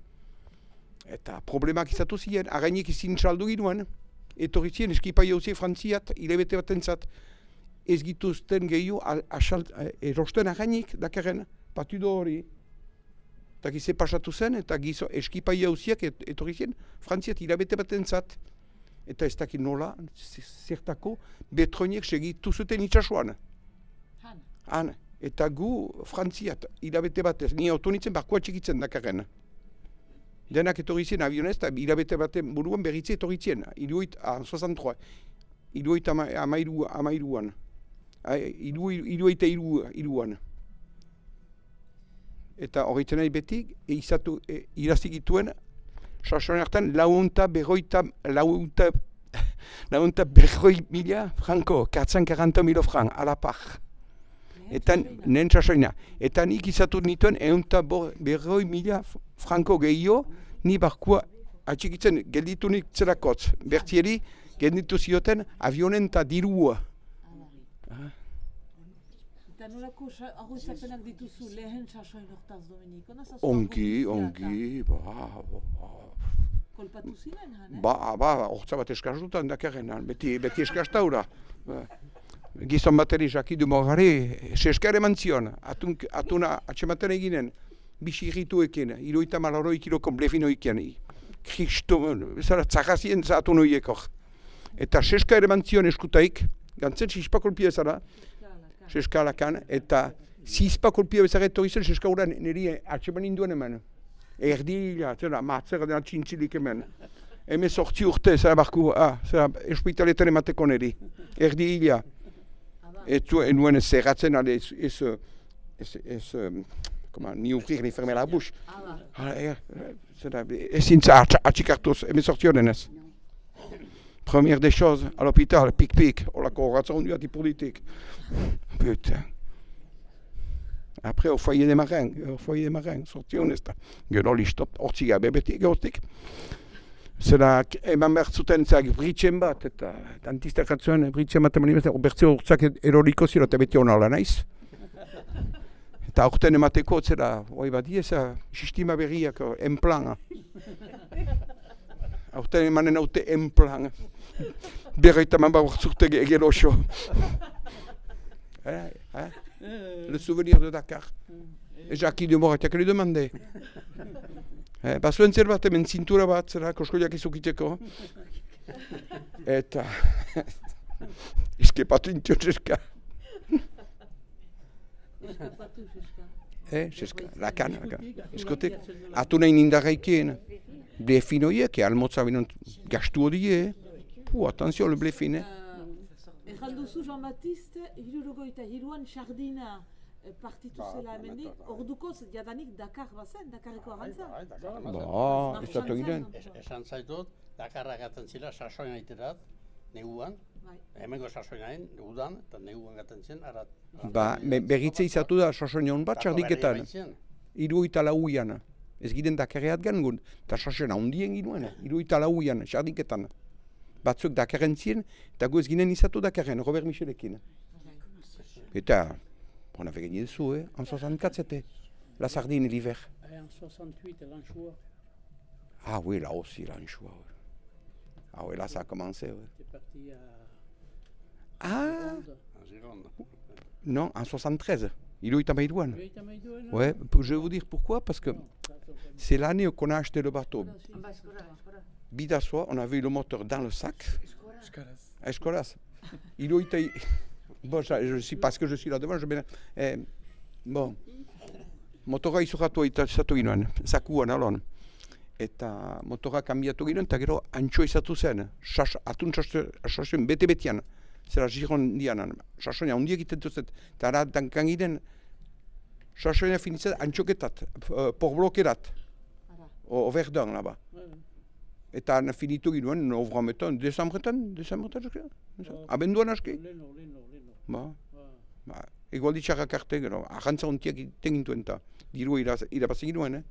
Eta problemak izatu ziren, againik izin saldu ginoen. Etorri ziren eskipa jauzi frantziat, hilabete bat entzat, ez gituzten gehiu erosten againik Dakarren, patudo hori. Eta gize pasatu zen, eta gizo eskipa jauziak etorri ziren frantziat hilabete bat entzat. Eta ez dakit nola, zertako, betroniek segitu zuten itxasuan. Han. Han. Eta gu frantziat hilabete batez, ni autonitzen barkoa txikitzen Dakarren. Denak etorri zien avionez, eta hilabete baten buruan berritze etorri zien. Iruit, ah, soixante-trois. Iruit amairu, amairuan. Iruit iruan. Eta horretzen nahi beti, izatu, e, irazik ituen, sasoen hartan, launta berroita, launta, launta berroi mila franko, katzan karanta milo frank, alapar. Eta nien sasoina. Eta nik izatu nituen, eunta berroi mila franko gehiago, ni barkua atxikitzen gelditunik zerakotz. Bertieri, gelditu zioten avionen eta dirua. Eta nolako arroizapenak dituzu lehen sasoin hortaz, Dominik? Ongi, ongi, ba, ba. Kolpatu ziren, han, eh? Ba, ba, hortza bat eskazutan Dakarren, beti, beti eskaztaura. Gizon bateri Jaki du Morgari, sesker eman zion, atuna atxematen eginen, bisi irrituekin, iruita malaroi kiloko blefinoiken, kristo, zara tzakazien zatun horiek hor. Eta sesker eman zion eskutaik, gantzen sispakolpia zara, seskalakan, eta sispakolpia bezara etorri zen seskaguran niri atxeman induen eman. Erdila, zera, matzera dena txintzilik hemen. Hemen sortzi urte, zera barku, ah, zera, hospitaletan emateko niri. Erdila. Etu, enuen ez zerratzen, ale, ez, ez, ez, ez, koma, ni ufrir, ni ferme la bouche. Zera, ez zintza atxikartuz, hemen sortzi honen ez. Première des choses, à l'hôpital, pic-pic, olako horatzen duati politik. Putain. Après, au foyer des marins, au foyer des marins, sorti honesta. Gero listo, hortzi gabe beti gehortik. Zera, eman behar zuten zeak britxen bat, eta dantistak atzuen britxen bat eman imazten, bertzio urtzak eroriko zira, eta beti hona naiz. Eta aurten emateko, zera, hoi bat dieza, sistema berriak, enplana. Aurten emanen haute enplan. Berroita man baurtzurte gero oso. Eh, eh? Le souvenir de Dakar. Et Jacques de Moratiak lui demandait. Eh, bazuen zerbait hemen zintura bat, zera, koskoiak izukitzeko. Eta... Eskepatu intio Zeska. Eh, Zeska, lakan, lakan. Eskotek, atu nahi nindarraikeen. Blefinoiek, almotza binon gastu hodie. Puh, attention, le blefin, eh? Erran duzu Jean-Baptiste, hirurogoita hiruan sardina partitu zela hemendik, orduko jadanik Dakar bazen, Dakarreko arrantza. Ba, ez datu egiten. Esan zaitut, Dakarra gaten zila, sasoin aiterat, neguan, hemengo sasoin hain, negudan, eta neguan gaten zen, arat. Ba, berritze izatu da sasoin hon bat sardiketan. Hiruita lauian. Ez giden Dakarreat gangun, eta sasoin handien ginuen, hiruita lauian, sardiketan. Batzuk Dakarren zien, eta gu ez ginen izatu Dakarren, Robert Michelekin. Eta, on avait gagné des sous, eh? En soixante-quatre, c'était la sardine l'hiver. Et en soixante-huit, l'anchois. Ah oui, là aussi, l'anchois. Ouais. Ah oui, là, ça a commencé. Ouais. T'es parti à... Ah En Gironde. Non, en soixante-treize. Il est à Maïdouane. Oui, t'as Maïdouane. Ouais, je vais vous dire pourquoi, parce que c'est l'année qu'on a acheté le bateau. Bidassois, on avait eu le moteur dans le sac. À Escolas. Il est bon, je suis parce que je suis là devant, je vais. Eh, bon, motora izuratu izatu ginoen, zakuan alon. Eta motora kanbiatu ginoen, eta gero antxo izatu zen. Sas, atun sasoin bete-betean. Zera Giron dianan. Sasoina hundi egiten duzet. Eta ara dankan ginen, sasoina finitzen antxoketat, porblokerat. O Verdun, laba. Eta finitu ginoen, novrametan, desambretan, desambretan, abenduan aski? Leno, leno, leno. Ba, ba, egualdi txarrak arte, gero, ahantza hontiak egiten gintuen eta dirua irabazen ginoen, eh?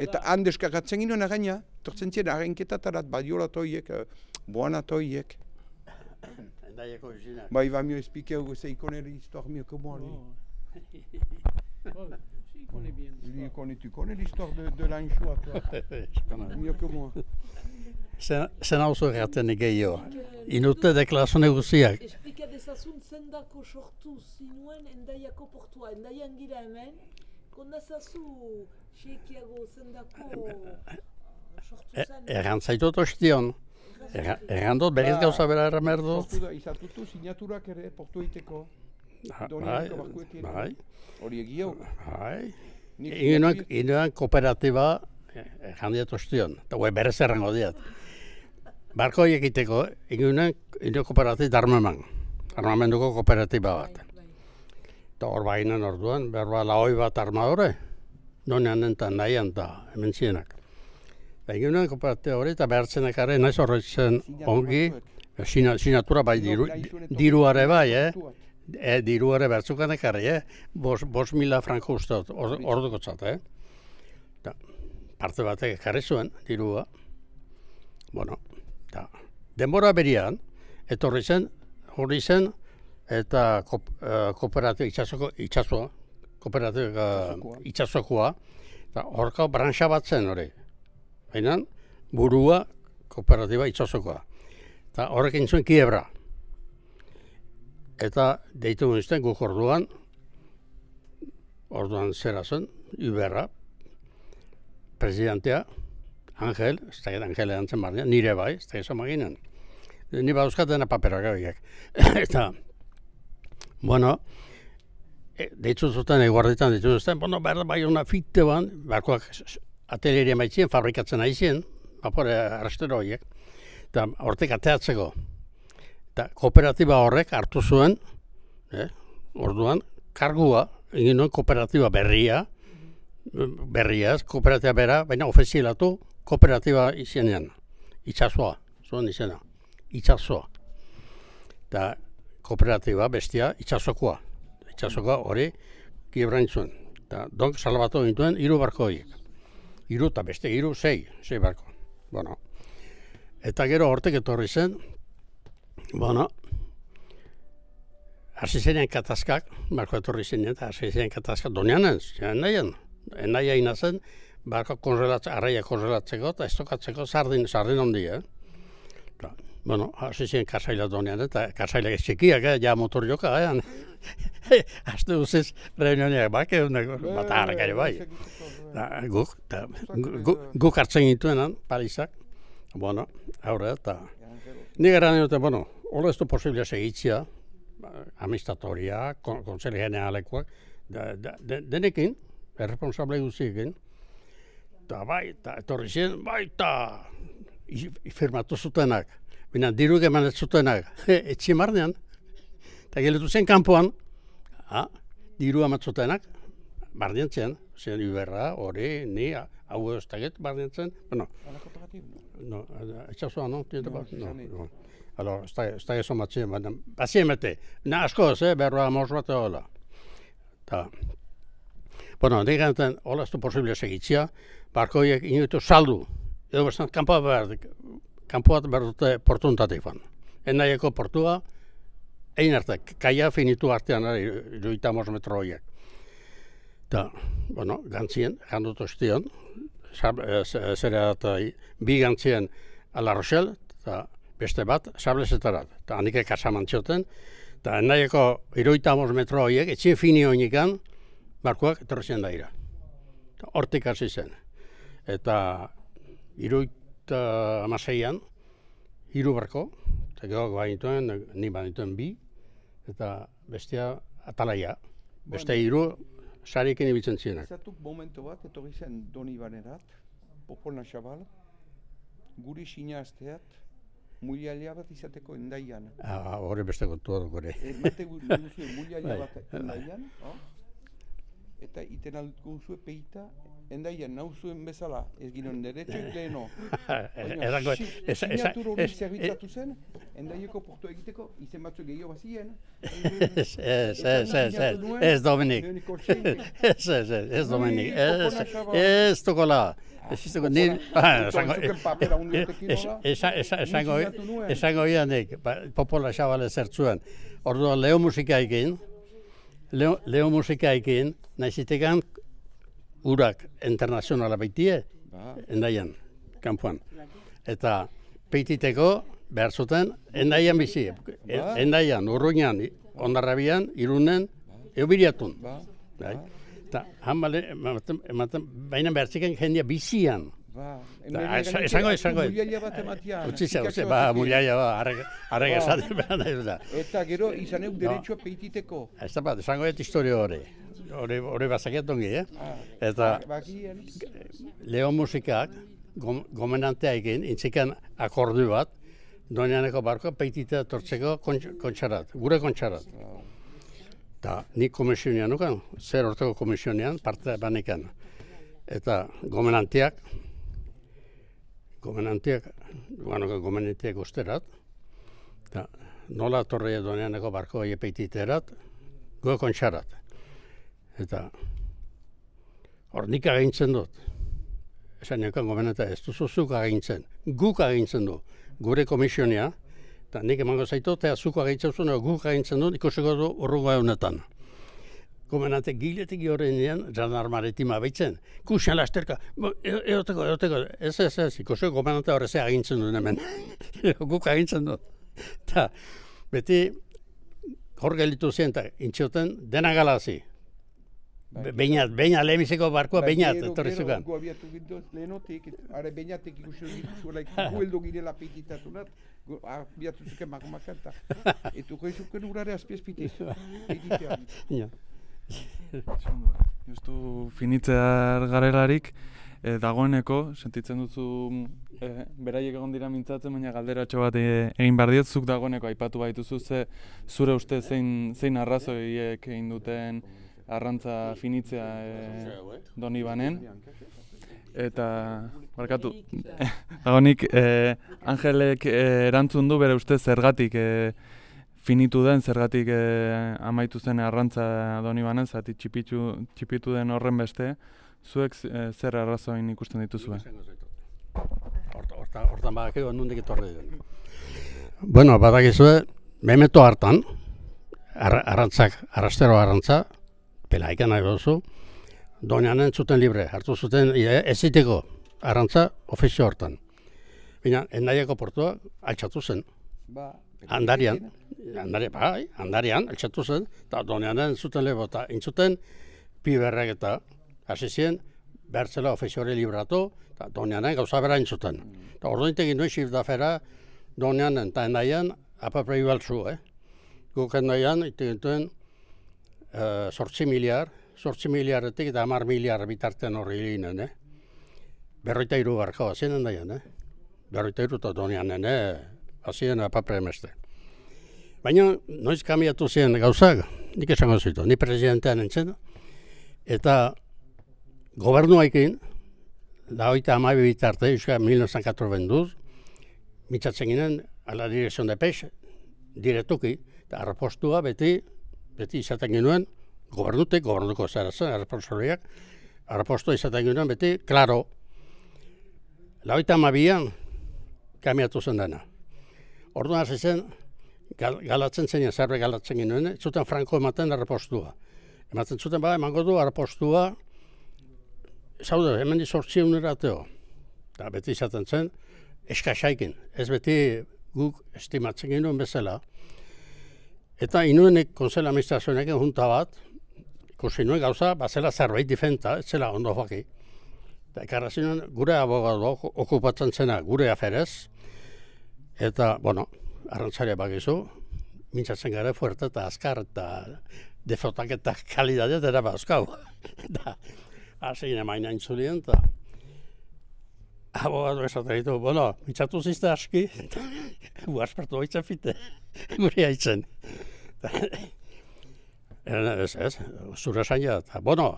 Eta han deskargatzen ginoen againa, tortzen ziren arrenketatarat, badiolatoiek, boanatoiek. Endaieko izina. Ba, il va mieux expliquer où c'est, il connaît l'histoire mieux que moi, lui. Oh, si, il connaît bien l'histoire. Lui, connais, tu connais l'histoire de, de l'anchois, toi? Mieux que moi. Zen hau zu erraten gehiago. Inute deklarazio guziak. Esplika dezazun zendako sortu zinuen Endaiako portua. Endaian gira hemen, kondazazu Xekiago zendako sortu zen. Erran zaitut ostion. Erran dut berriz gauza bera erramer dut. Izatutu sinaturak ere portu egiteko. Bai, bai. Hori egio. Bai. Inoen kooperatiba erran diet ostion. Eta gue berez errango diat. Barko egiteko, inoen kooperatiba armaman. Armamenduko kooperatiba bat. Eta hor baginan orduan, berba lahoi bat armadore. Donean enten nahian eta hemen zienak. Inoen kooperatiba hori eta behartzenek ere, naiz horretzen ongi, sinatura bai diruare bai, eh? E, diruare bertzukanek ere, eh? Bos mila franko uste orduko txat, eh? Parte batek ekarri zuen, dirua. Bueno, eta denbora berian, etorri zen, hori zen, eta kooperatiba itxasoko, itxasoa, kooperatiba itxasokoa, eta horka brantxa bat zen hori. Baina, burua kooperatiba itxasokoa. Eta horrekin zuen kiebra. Eta deitu nizten guk orduan, orduan zera zen, Uberra, presidentea, Angel, ez da Angel erantzen barnean, nire bai, ez da izan maginen. Ni badauzkat dena paperak gabiak. Eta, bueno, deitu zuten, eguarditan deitu zuten, bueno, behar bai una fitte ban, beharkoak atelieria maitzien, fabrikatzen aizien, bapore arrastero horiek, eta hortek ateatzeko. Eta kooperatiba horrek hartu zuen, eh, orduan, kargua, egin nuen kooperatiba berria, berriaz, kooperatiba bera, baina ofizialatu kooperatiba izenean, itxasoa, zuen izena, itxasoa. Eta kooperatiba bestia itxasokoa, itxasokoa hori kiebrain zuen. Eta donk salbatu gintuen hiru barko horiek. Hiru eta beste hiru, sei, sei barko. Bueno, eta gero hortek etorri zen, bueno, hasi zenean katazkak, barko etorri zenean, eta hasi zenean katazkak, donean ez, zenean nahian. Enaia ina zen, barko konzelatzeko, arraia konzelatzeko, eta estokatzeko sardin, sardin handia. Eh? Bueno, hasi ziren karsaila donean, eta karsailak txikiak, eh, ja motor joka, eh? Azte guztiz, reunioniak bake, bat harrak ere bai. Guk, guk hartzen gituenan, Parisak, bueno, aurre, eta nik eran dute, bueno, hola ez du posible segitzia, amistatoria, konseli generalekoak, denekin, erresponsable guztiekin, eta bai, eta etorri ziren, bai, eta firmatu zutenak, bina diru eman ez zutenak, etxi marnean, eta geletu zen kanpoan, diru amatzutenak, barnean zen, zen Iberra, hori, ni, hau ez taget barnean zen, bueno, no, etxasua, no? No, no. Alors, ez da ezo matzien, baina, bazien bete, na askoz, eh, berroa mors bat hola. Ta, bueno, nik gantzen, hola ez du posible segitzia, barkoiek inoitu saldu, edo bestan, kanpoa behar, kanpoa behar dute portuntatifan. Endaieko portua, egin arte, kaia finitu artean, iruita mors metro horiek. Ta, bueno, gantzien, jandut ostion, zera eta bi gantzien a La Rochelle, eta beste bat, sablezetarat. Eta handik kasaman txoten, eta endaieko iruita mors metro horiek, etxien fini honikan, barkoak etorrezien daira. Hortik hasi zen. Eta iruita amaseian, hiru barko, eta gehoak bainituen, ni bainituen bi, eta bestia atalaia. Beste hiru sariekin ibiltzen zienak. Zatuk momento bat, etorri zen Doni Banerat, Popol Naxabal, guri sinazteat, mulialia bat izateko endaian. Ah, hori beste kontua duk hori. Mate guzue mulialia bat endaian, eta iten alduko guzue peita, endaian nauzuen bezala, ez ginen deretxoik leheno. Sinatur hori zerbitzatu zen, endaieko portu egiteko, izen batzu gehiago bazien. Ez, ez, ez, ez, Dominik. Ez, ez, ez, Dominik. Ez, tokola. Esango ianik, Popola Xabale zertzuen. Orduan, Leo musikaekin, Leo musikaekin, nahizitekan urak internazionala baitie, endaian, kanpoan. Eta peititeko behar zuten, endaian bizi. Endaian, Urruñan, Ondarrabian, Irunen, eubiriatun. Eta, hanbale, baina behar ziken jendia bizian. Esango, esango. Mulialia bat ematian. Utzitza, utzitza, ba, mulialia, ba, arreg esatik behar nahi da. Eta gero, izan euk deretsua peititeko. Ez da bat, esango et historio hori. Hori bazakiat ongi, eh? Eta, Leo musikak, gomenantea egin, intzikan akordu bat, Donianeko barko peititea tortzeko kontxarat, gure kontxarat. Eta nik komisionean nukan, zer orteko komisionean, parte banekan. Eta gomenanteak, gomenanteak, guanoka gomenanteak usterat, eta nola torre Donianeko barko epeititerat, gure kontxarat. Eta hor nik agintzen dut. Esan niokan gomenantea, ez duzu zuk agintzen, guk agintzen du, gure komisionea, eta nik emango zaitu, eta zuko agintzen zuen, guk agintzen dut, ikusiko du urrungo egunetan. Gomenante giletik horrenean, Janar Maritima baitzen, kusian lasterka, eoteko, eoteko, ez, ez, ez, ikusiko gomenante horreze agintzen duen hemen, guk agintzen dut. Eta beti hor gelitu zen, eta intxoten dena galazi. Beinat, beinat, lehenbiziko barkoa beinat, etorri zukan. Gero, abiatu gindoz lehenotik, are beinatek ikusten dituzuela, gueldo girela peititatu nat, abiatu zuken magomakanta. Etu goi zuken urare azpiezpite, peititean. Justu finitzear garelarik, dagoeneko, sentitzen duzu beraiek egon dira mintzatzen, baina galderatxo bat egin behar diot, zuk dagoeneko aipatu baituzu, ze zure uste zein arrazoiek egin duten arrantza finitzea Doni Banen. Eta, barkatu, dagoenik, Angelek erantzun du bere uste zergatik finitu den, zergatik amaitu zen arrantza Doni Banen, zati txipitu den horren beste, zuek zer arrazoin ikusten dituzue? Hortan badakio nondik etorri den. Bueno, badakizue, memeto hartan, arrantzak, arrastero arrantza, pelaikan nahi duzu, Donianen zuten libre, hartu zuten eziteko arrantza ofizio hortan. Baina, endaiako portua altxatu zen. Ba, Andarian, andari, bai, andarian, altxatu zen, eta Donianen zuten lebo, eta intzuten piberrek eta hasi zien, bertzela ofizioari libratu, eta Donianen gauza bera intzuten. Eta orduintek induen xifdafera Donianen eta endaian apapre ibaltzu, eh? Guk endaian, itegintuen, sortzi miliar, sortzi miliarretik eta hamar miliar bitartean horri ginen, eh? Berroita iru barka bazien endaian, eh? Berroita iru eta Donianen, eh? Bazien apapre emeste. Baina, noiz kamiatu ziren gauzak, nik esango zitu, ni presidentean entzen, eta gobernuaikin, da hoita amabi bitarte, euskal mil novecientos catorce mitzatzen ginen, a la dirección de peix, direktuki, eta arrapostua beti, beti izaten genuen, gobernutek, gobernuko zara zen, arrapostoriak, arrapostua izaten genuen beti, klaro, la hoita amabian, kamiatu zen dena. Orduan hasi zen, gal, galatzen zen, zerbe galatzen genuen, zuten franko ematen arrapostua. Ematen zuten, ba, emango du arrapostua, zaude, hemen dizortzien erateo. Eta beti izaten zen, eskasaikin, ez beti guk estimatzen genuen bezala. Eta inuenek konzela administrazioenek junta bat, ikusi nuen gauza, bazela zerbait difenta, ez zela ondo joaki. Eta ekarrazinen gure abogado okupatzen zena gure aferez, eta, bueno, arrantzaria bakizu, mintzatzen gara fuerte eta azkar eta defotak eta kalidadea dira bazkau. Eta, hasi gine maina intzulien, eta abogado esaten ditu, bueno, mintzatu zizte aski, guazpertu haitzen fite, gure haitzen. Ez, ez, zure zaila, eta, bueno,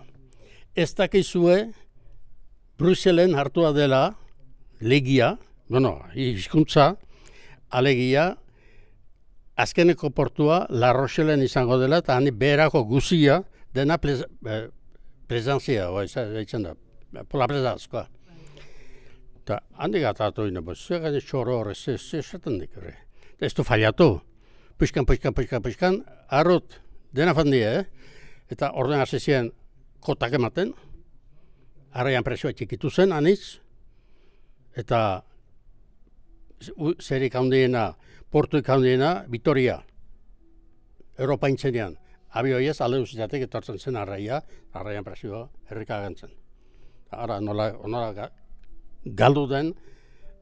ez dakizue Bruselen hartua dela legia, bueno, hizkuntza, alegia, azkeneko portua La Rochellen izango dela, eta hani beherako guzia dena presentzia, eitzen da, pola presenzkoa. Eta handik atatu ino, zega de txoro horre, zezaten dik horre. Ez du fallatu, puxkan, puxkan, puxkan, puxkan, arrut, dena fandia, eh? Eta orden hasi ziren kotak ematen, arraian presioa txikitu zen, anitz, eta zerik handiena, portuik handiena, Vitoria, Europa intzenean. Abioiez, alde usizatek etortzen zen arraia, arraian presioa herrika agentzen. Ara, nola, nola galdu den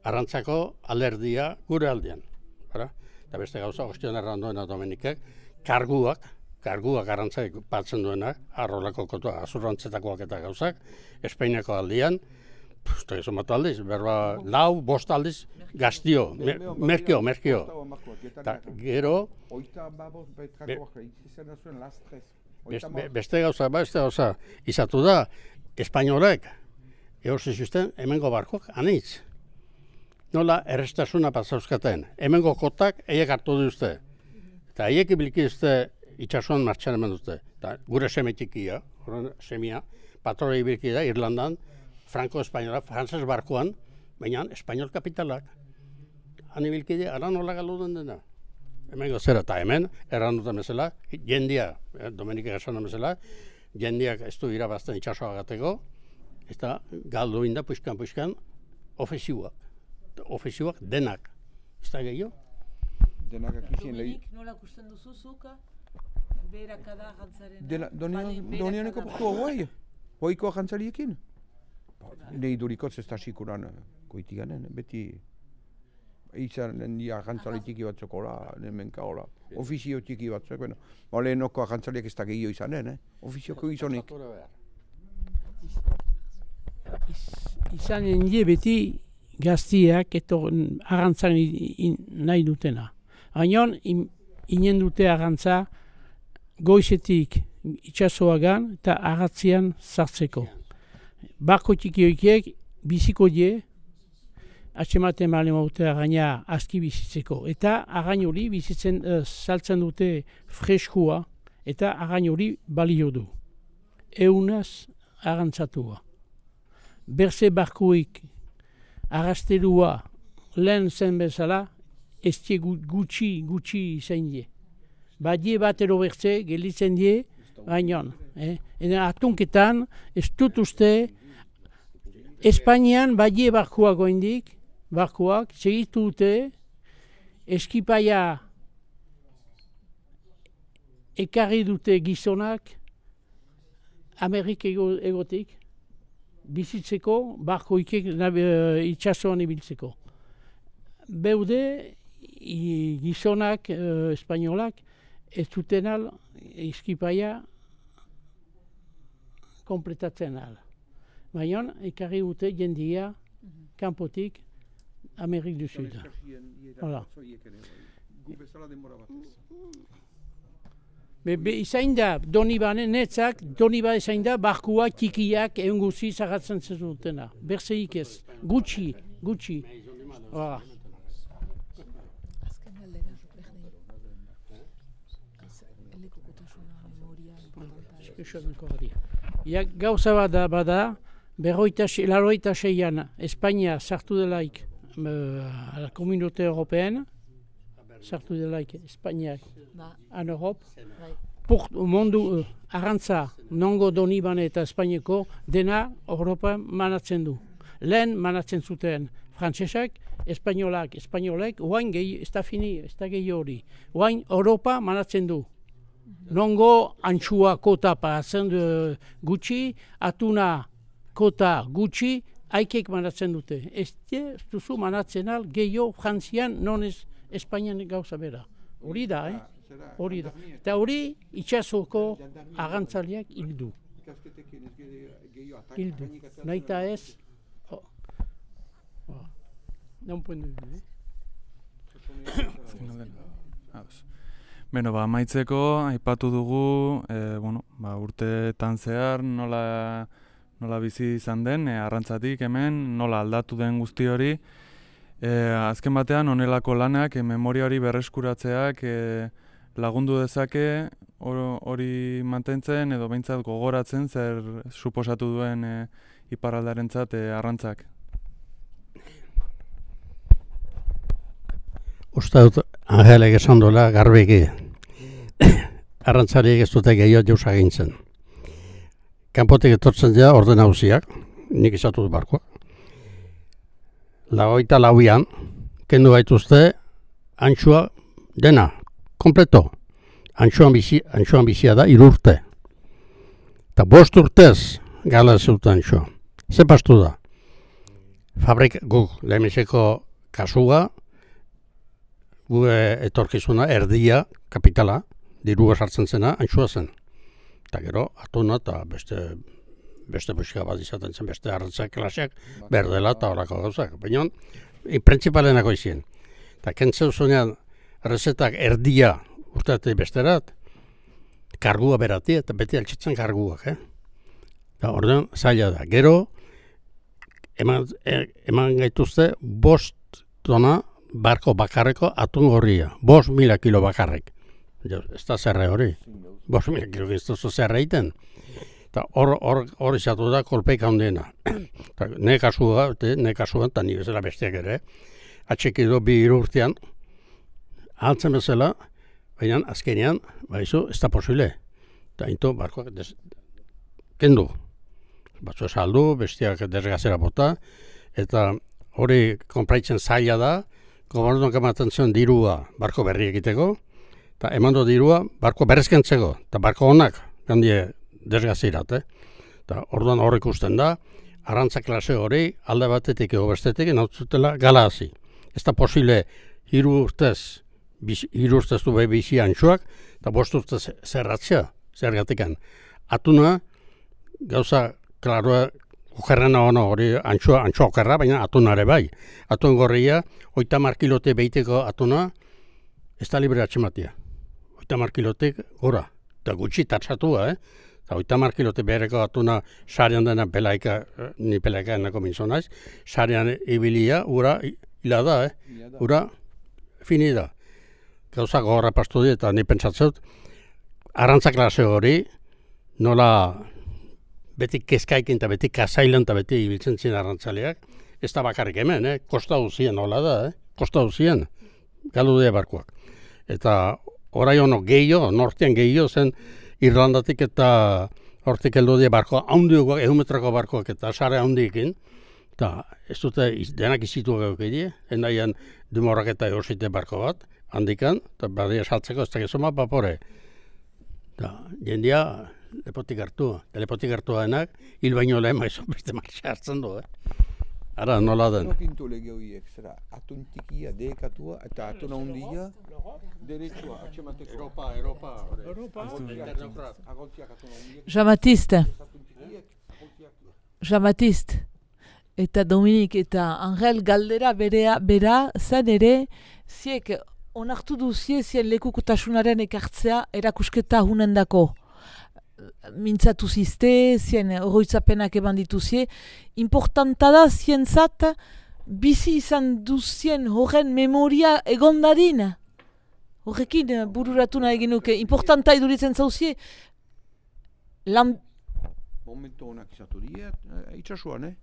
arrantzako alerdia gure aldean. Ara? Eta beste gauza, ostion erranduena Dominikek, karguak, karguak arrantzaik batzen duenak, arrolako kotua, azurrantzetakoak eta gauzak, Espainiako aldean, Uste, eso matu aldiz, berba, lau, bost aldiz, gaztio, merkio, merkio. Eta gero, beste gauza, beste gauza, izatu da, espainolek, eorzi zuzten, hemengo barkok, anitz. Nola, errestasuna pasauzkaten, hemengo kotak, eiek hartu duzte. Eta eiek ibiliki duzte, itxasuan martxan hemen duzte. Eta gure semetikia, semia, patroi ibiliki da, Irlandan, Franco-Espainola, frantzes barkoan, baina espainol kapitalak. Han ibilkide, ara nola galuden dena. Hemen gozera, eta hemen, erran duten bezala, jendia, eh, Dominikek esan bezala, jendiak ez du irabazten itxasoa gateko, eta galdu inda, puxkan-puxkan, ofizioak. Ofizioak denak. Ez da gehiago? Denak akizien lehi. Dominik, nola kusten duzu zuka? Berakada jantzaren. Donianeko portua guai. Hoiko jantzariekin. Nei durikotz ez da sikuran koitiganen, beti izan dia jantzari tiki batzuk hola, hemenka hola, ofizio tiki batzuk, bueno, lehenoko jantzariak ez da gehiago izanen, eh? Ofizioko gizonik. Izan die beti gaztiak eto arrantzan nahi dutena. Baina inen dute arrantza goizetik itxasoagan eta arratzian sartzeko. Barko txiki hoikiek biziko die, atxematen male mautea gaina aski bizitzeko. Eta again hori bizitzen uh, saltzen dute freskua eta again hori balio du. Eunaz arrantzatua. Berze barkoik arrastelua lehen zen bezala, ez die gutxi, gutxi zain die. Badie bat ero bertze, gelitzen die, baina, eh? Eta atunketan, ez dut uste, Espainian badie barkuak oindik, barkuak, segitu dute, eskipaia ekarri dute gizonak Amerik ego, egotik, bizitzeko, barko ikek itxasoan ibiltzeko. Beude, i, gizonak, uh, espainolak, ez duten al, eskipaia kompletatzen al. Baina, ekarri dute jendia, kanpotik, Amerik du Sud. Hala. Be, be, izain da, Donibane netzak, Doniba izain da, barkua txikiak egun guzi zagatzen zezutena. Berzeik ez, gutxi, gutxi. Hala. Ja, gauza bada, bada, berroita, laroita seian, Espainia sartu delaik, uh, la Komunitate Européenne, sartu delaik, Espainiak, an Europ, Port, mundu, uh, arrantza, nongo Donibane eta Espainiako, dena Europa manatzen du. Lehen manatzen zuten frantsesak, espainolak, espainolek, oain gehi, ez da fini, ez da gehi hori. Oain Europa manatzen du. Nongo antxua kota paratzen gutxi, atuna kota gutxi, aikek manatzen dute. Ez duzu manatzen al, gehiago Frantzian, non ez Espainian gauza bera. Hori da, eh? Hori da. Eta hori itxasoko agantzaliak hildu. Hildu. Naita ez... Oh. Oh. Non puendu, eh? Beno, ba, amaitzeko, aipatu dugu, e, bueno, ba, urteetan zehar nola, nola bizi izan den, e, arrantzatik hemen, nola aldatu den guzti hori. E, azken batean, honelako lanak, e, memoria hori berreskuratzeak e, lagundu dezake hori mantentzen edo behintzat gogoratzen zer suposatu duen e, iparraldarentzat e, arrantzak. Uste dut, Angelek esan dola garbeki, arrantzariek ez dute gehiago jauz agintzen. Kanpotik etortzen dira orden hauziak, nik izatu dut barkoa. Lagoita lauian, kendu gaituzte, antxua dena, kompleto. Antxuan, bizi, antxuan bizia da, irurte. Eta bost urtez gala zuten antxua. Ze pastu da? Fabrik guk, lehenbizeko kasua, gu etorkizuna, erdia, kapitala, dirua sartzen zena, antxua zen. Eta gero, atuna eta beste, beste busika bat izaten zen, beste arrantzak klaseak, berdela eta horako gauzak. Baina, principalenako izien. Eta kentzeu zunean, rezetak erdia urteatik besterat, kargua berati, eta beti altxitzen karguak, eh? Eta ordean, zaila da. Gero, eman, eman gaituzte, bost tona, barko bakarreko atun gorria, bost mila kilo bakarrek. Ez da zerre hori, bost mila kilo ez duzu zerre egiten. Eta hor izatu da kolpeik handiena. Ne kasua, ne kasua, eta ni bezala bestiak ere, atxekido bi irurtean, altzen bezala, baina azkenean, baizu, ez da posible. Eta into barkoak des, kendu. Batzu saldu, bestiak desgazera bota, eta hori konpraitzen zaila da, gobernuak ematen zuen dirua barko berri egiteko, eta emando dirua barko berrezkentzeko, eta barko honak gandie desgazirat, eh? Eta orduan hor ikusten da, arrantza klase hori alde batetik ego bestetik nautzutela galazi. Ez da posible hiru urtez, hiru urtez du behi bizi antxuak, eta bost urtez zerratzea, zergatikan. Atuna, gauza, klaroa, okerrena ono hori antxua, antxua okerra, baina atunare bai. Atun gorria, oita markilote behiteko atuna, ez da libre atxematia. Oita markilotek gora, eta gutxi tatsatua, eh? Eta oita markilote behereko atuna sarean dena pelaika, ni pelaika enako minzonaiz, sarean ibilia, ura hila da, eh? Ura fini da. Gauza gogorra pastu di, eta ni pentsatzeut, arrantza klase hori, nola beti kezkaikin eta beti kasailan eta beti ibiltzen zien arrantzaleak, ez da bakarrik hemen, eh? Kosta uzien, hola da, eh? Kosta uzien, galdu dira barkoak. Eta orai hono gehiago, nortean gehiago zen Irlandatik eta hortik heldu die barkoa, handiagoak, ehun metroko barkoak eta sare handiekin, eta ez dute iz- denak izitu gaukidie, endaian dumorrak eta eusite barko bat, handikan, eta badia saltzeko ez dakizuma papore. Eta jendia lepotik hartu, eta lepotik hartu denak, hil baino lehen maizu beste marxa hartzen du, eh? Ara, nola den. No pintu lege horiek, zera, atun tikia, dekatua, eta atun handia, deretsua, atxemateko. Europa, Europa, Europa, Agoltziak atun handiek, Jean-Baptiste, atun tikiek, agoltziak. Jean-Baptiste, eta Dominik eta Angel galdera berea, bera, zen ere, ziek onartu duzie zien lekukotasunaren ekartzea erakusketa hunendako. Mintzatu zizte, zien oroitzapenak eban dituzie. Importanta da zientzat bizi izan duzien horren memoria egon dadin. Horrekin eh, bururatu nahi genuke. Importanta iduritzen zauzie. Lan... Momentu honak izatu die, eh, itxasuan, eh?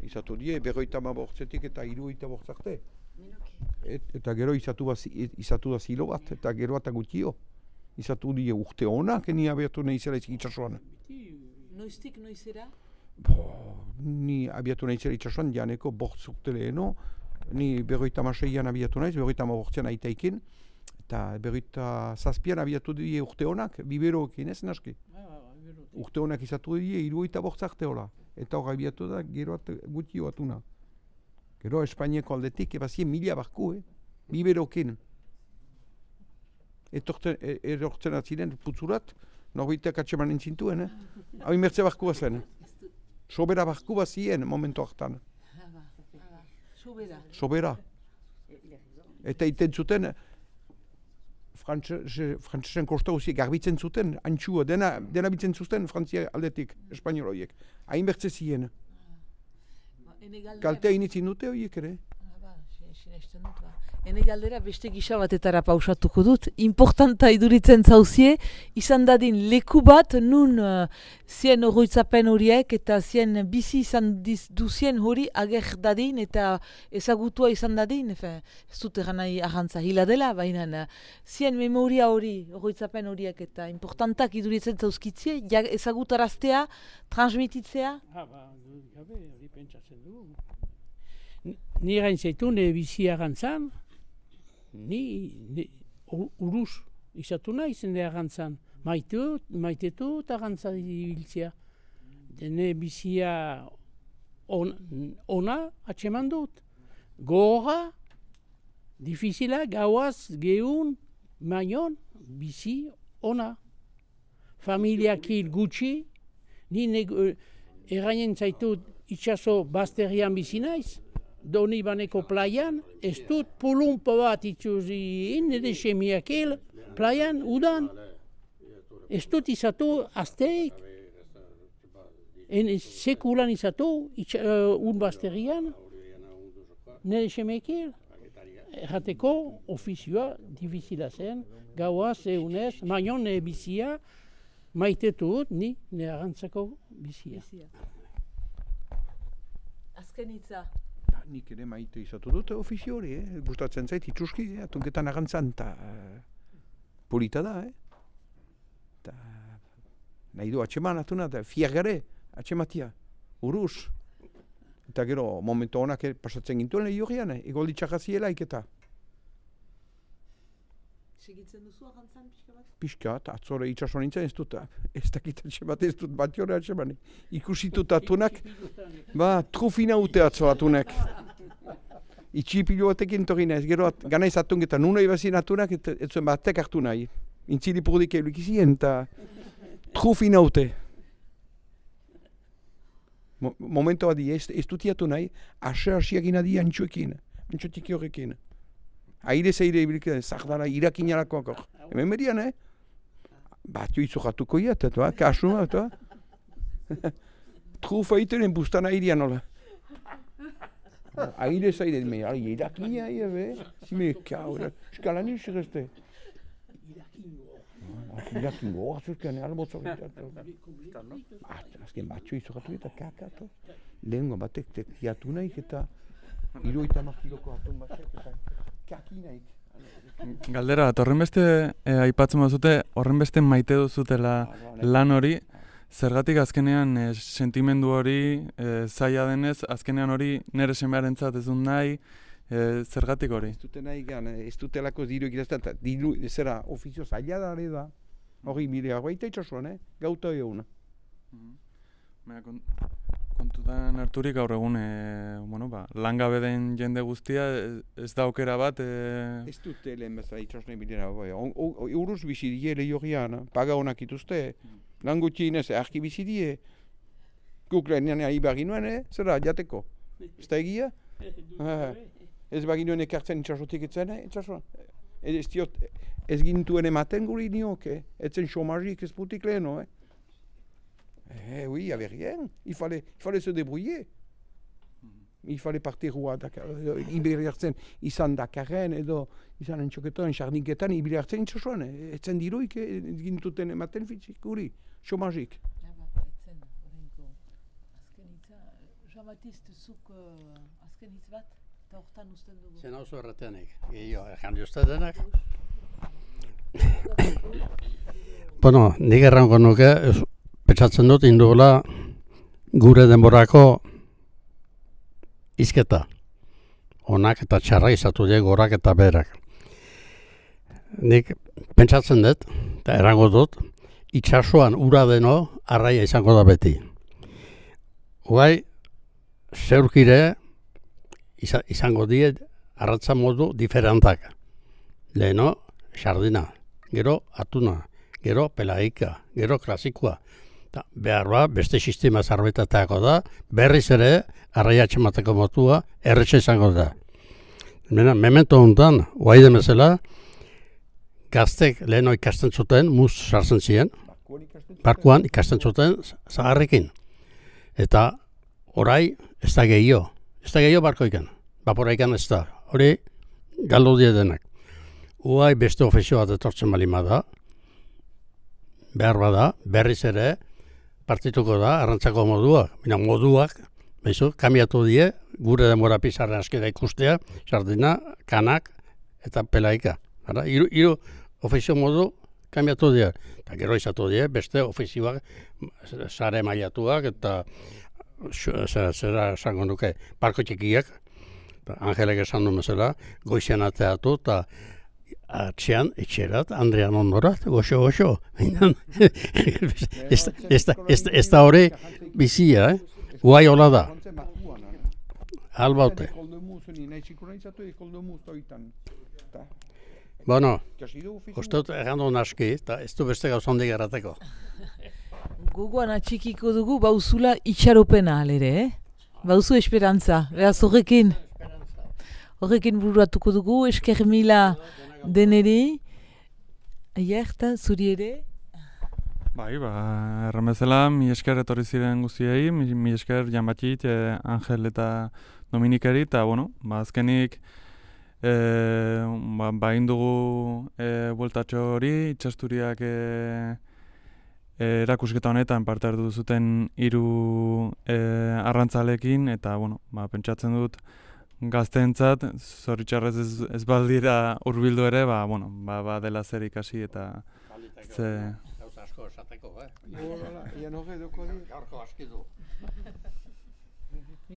Izatu die, berroita ma bortzetik eta hiruita bortzarte. Et, eta gero izatu, baz, izatu da zilo bat, eta gero eta gutio. Izatu die urte honak, ni abiatu nahi zela itxasuan. Noiztik noizera? Bo, ni abiatu nahi zela itxasuan, janeko bortz urte leheno, ni berroita maseian abiatu naiz, berroita ma bortzean aitaikin, eta berroita zazpian abiatu die urte honak, biberoekin ez naski. Urte honak izatu die, hiruita bortzarte hola. Eta hor abiatu da, gero at, gutio atuna. Gero Espainiako aldetik, ebazien mila barku, eh? Biberokin. Etortzen, e, erortzen atziren, putzurat, norbitak atxemanen zintuen, eh? Hau imertze barku zen. Sobera barku bazien, momentu hartan. Sobera. Sobera. Eta iten zuten, frantzesen kosta guziek garbitzen zuten, antxua, dena, dena bitzen zuten Frantzia aldetik, espainioloiek. Hain bertze ziren. Kaltea initzin dute horiek ere. Hene galdera beste gisa batetara pausatuko dut. Importanta iduritzen zauzie, izan dadin leku bat nun uh, zien oroitzapen horiek eta zien bizi izan diz, duzien hori ager dadin eta ezagutua izan dadin. Efe, ez dut egan nahi ahantza hila dela, baina uh, zien memoria hori, oroitzapen horiek eta importantak iduritzen zauzkitzie, ja, ezagutaraztea, transmititzea. Ah, ba, gabe, hori pentsatzen du. Ni gain zaitu, nire bizia gantzan, ni, ni uruz izatu nahi zen nire gantzan. Maitu, maitetu eta gantza ibiltzea. Nire bizia on, ona atxeman dut. Gora, difizila, gauaz, geun, maion, bizi ona. Familiak hil gutxi, ni errainen zaitu itxaso bazterian bizi naiz. Doni baneko plaian, ez dut pulumpo bat itxuzi nire semiak hil, plaian, udan. Ez dut izatu azteik. En sekulan izatu, uh, un bazterian, nire semiak hil. Errateko, ofizioa, difizila zen, gaua, zeunez, maion nire bizia, maitetu ni nire arantzako bizia. Azken hitza. Nik ere maite izatu dute ofizio hori, eh? Gustatzen zait itxuski, eh? Atunketan agantzan, eta uh, polita da, eh? Ta, nahi du atxeman atuna, eta fiagare atxematia, uruz. Eta gero, momentu honak pasatzen gintuen lehi horrean, eh? Egoldi txakaziela iketa. Segitzen duzu agantzan pixka bat? Pixka, eta atzore itxaso nintzen ez dut, ez dakit atxemat ez dut bat jore atxeman. Ikusitut atunak, ba, trufina ute atzo atunak. Itxipilu batekin torri nahiz, gero at, ganaiz atun eta nuna ibazien atunak, et, ez zuen batek hartu nahi. Intzili purdik euluk izien, eta trufina ute. Mo, momento badi, ez, ez dut iatu nahi, ase asiak adi antxuekin, antxuetiki horrekin. Aire zeire ibilike, zardara irakinarakoak hor. Hemen berian, eh? Batio izo jatuko iat, eta kasuma, eta trufa itenen bustan airean nola. Aire zeire, me, irakina, be? Zime, kau, eskalan izan ezte. Irakingo, azuzkean, albotzak eta. Azken batio izo jatu eta kakatu. Lehenko batek tektiatu naik eta iruita makiloko atun batek eta kakinaik. Galdera bat, horren beste eh, aipatzen bazute, horren beste maite duzutela lan hori, zergatik azkenean e, sentimendu hori e, zaila denez, azkenean hori nire semearentzat ez dut nahi, e, zergatik hori? Ez dute nahi gan, ez dutelako diru egitazten, eta diru, zera, ofizio zaila da, hori da. Hori, mire, baita itxasuan, eh? Gauta eguna. Baina, kont, kontutan harturik gaur egun, e, bueno, ba, langabe den jende guztia, ez, ez da aukera bat... E... Ez dute lehen bezala itxasune bilera, bai. Euruz bizi die lehiogian, paga honak ituzte. Lan gutxienez, arki bizi die. Guk lehenean ari baginuen, eh? Zera, jateko. Ez da egia? Ez baginuen ekartzen itxasotik etzen, eh? Itxasuan. Ez diot, ez gintuen ematen guri nioke. Etzen chômagik ez putik leheno, eh? Eh oui, il n'y avait rien. Il fallait, il fallait se débrouiller. Il fallait partir à Dakar. Iberiartzen izan Dakarren edo izan entxoketan, sarniketan, iberiartzen itxasuan. Etzen diruik gintuten ematen fitzik guri, chômagik. Etzen, horrenko. Azken hitza, Jean-Baptiste, zuk azken hitz bat, eta hortan usten dugu. Zen hau zuerrateanik, gehiago, erjan diozte denak. Bueno, nik errango nuke, pentsatzen dut indugula gure denborako izketa. Onak eta txarra izatu die gorak eta berak. Nik pentsatzen dut, eta errango dut, itxasuan ura deno arraia izango da beti. Guai, zeurkire izango die arratza modu diferentak. Leheno, sardina, gero atuna, gero pelaika, gero klasikoa. Ta, behar ba, beste sistema zarbetateako da, berriz ere, arraia atxemateko motua, erretxe izango da. Mena, memento honetan, guai demezela, gaztek leheno ikasten zuten, muz sartzen ziren, barkuan ikasten zuten zaharrekin. Eta orai, ez da gehiago, ez da gehiago barkoikan, baporaikan ez da, hori galdu die denak. Guai beste ofizio bat etortzen balima da, behar bada, berriz ere, partituko da, arrantzako moduak. Bina moduak, behizu, kamiatu die, gure demora pizarren askeda ikustea, sardina, kanak eta pelaika. Ara, iru, iru ofizio modu kamiatu die. Eta gero izatu die, beste ofizioak, sare mailatuak eta zera, zera esango nuke, parko txikiak, Angelek esan du mesela, goizian ateatu eta atxean, etxerat, Andrean ondorat, goxo, goxo. Ez da hori bizia, eh? Guai hola da. Albaute. Bueno, uste dut egan duen aski, eta ez du beste gauzondik errateko. Gogoan atxikiko dugu bauzula itxaropena alere, eh? Bauzu esperantza, beraz horrekin. Horrekin bururatuko dugu, esker mila deneri. Aierta, zuri ere? Bai, ba, erran bezala, mi esker etorri ziren guztiei, mi, mi esker Jean-Baptiste, eh, Angel eta Dominikeri, eta, bueno, ba, azkenik, eh, ba, ba indugu eh, bueltatxo hori, itxasturiak eh, eh, erakusketa honetan parte hartu zuten hiru eh, arrantzalekin, eta, bueno, ba, pentsatzen dut, gazteentzat, zoritxarrez ez, ez baldira hurbildu ere, ba, bueno, ba, ba dela zer ikasi eta ze... Gauza asko esateko, eh? Hola, ian horre doko di. Gaurko aski du.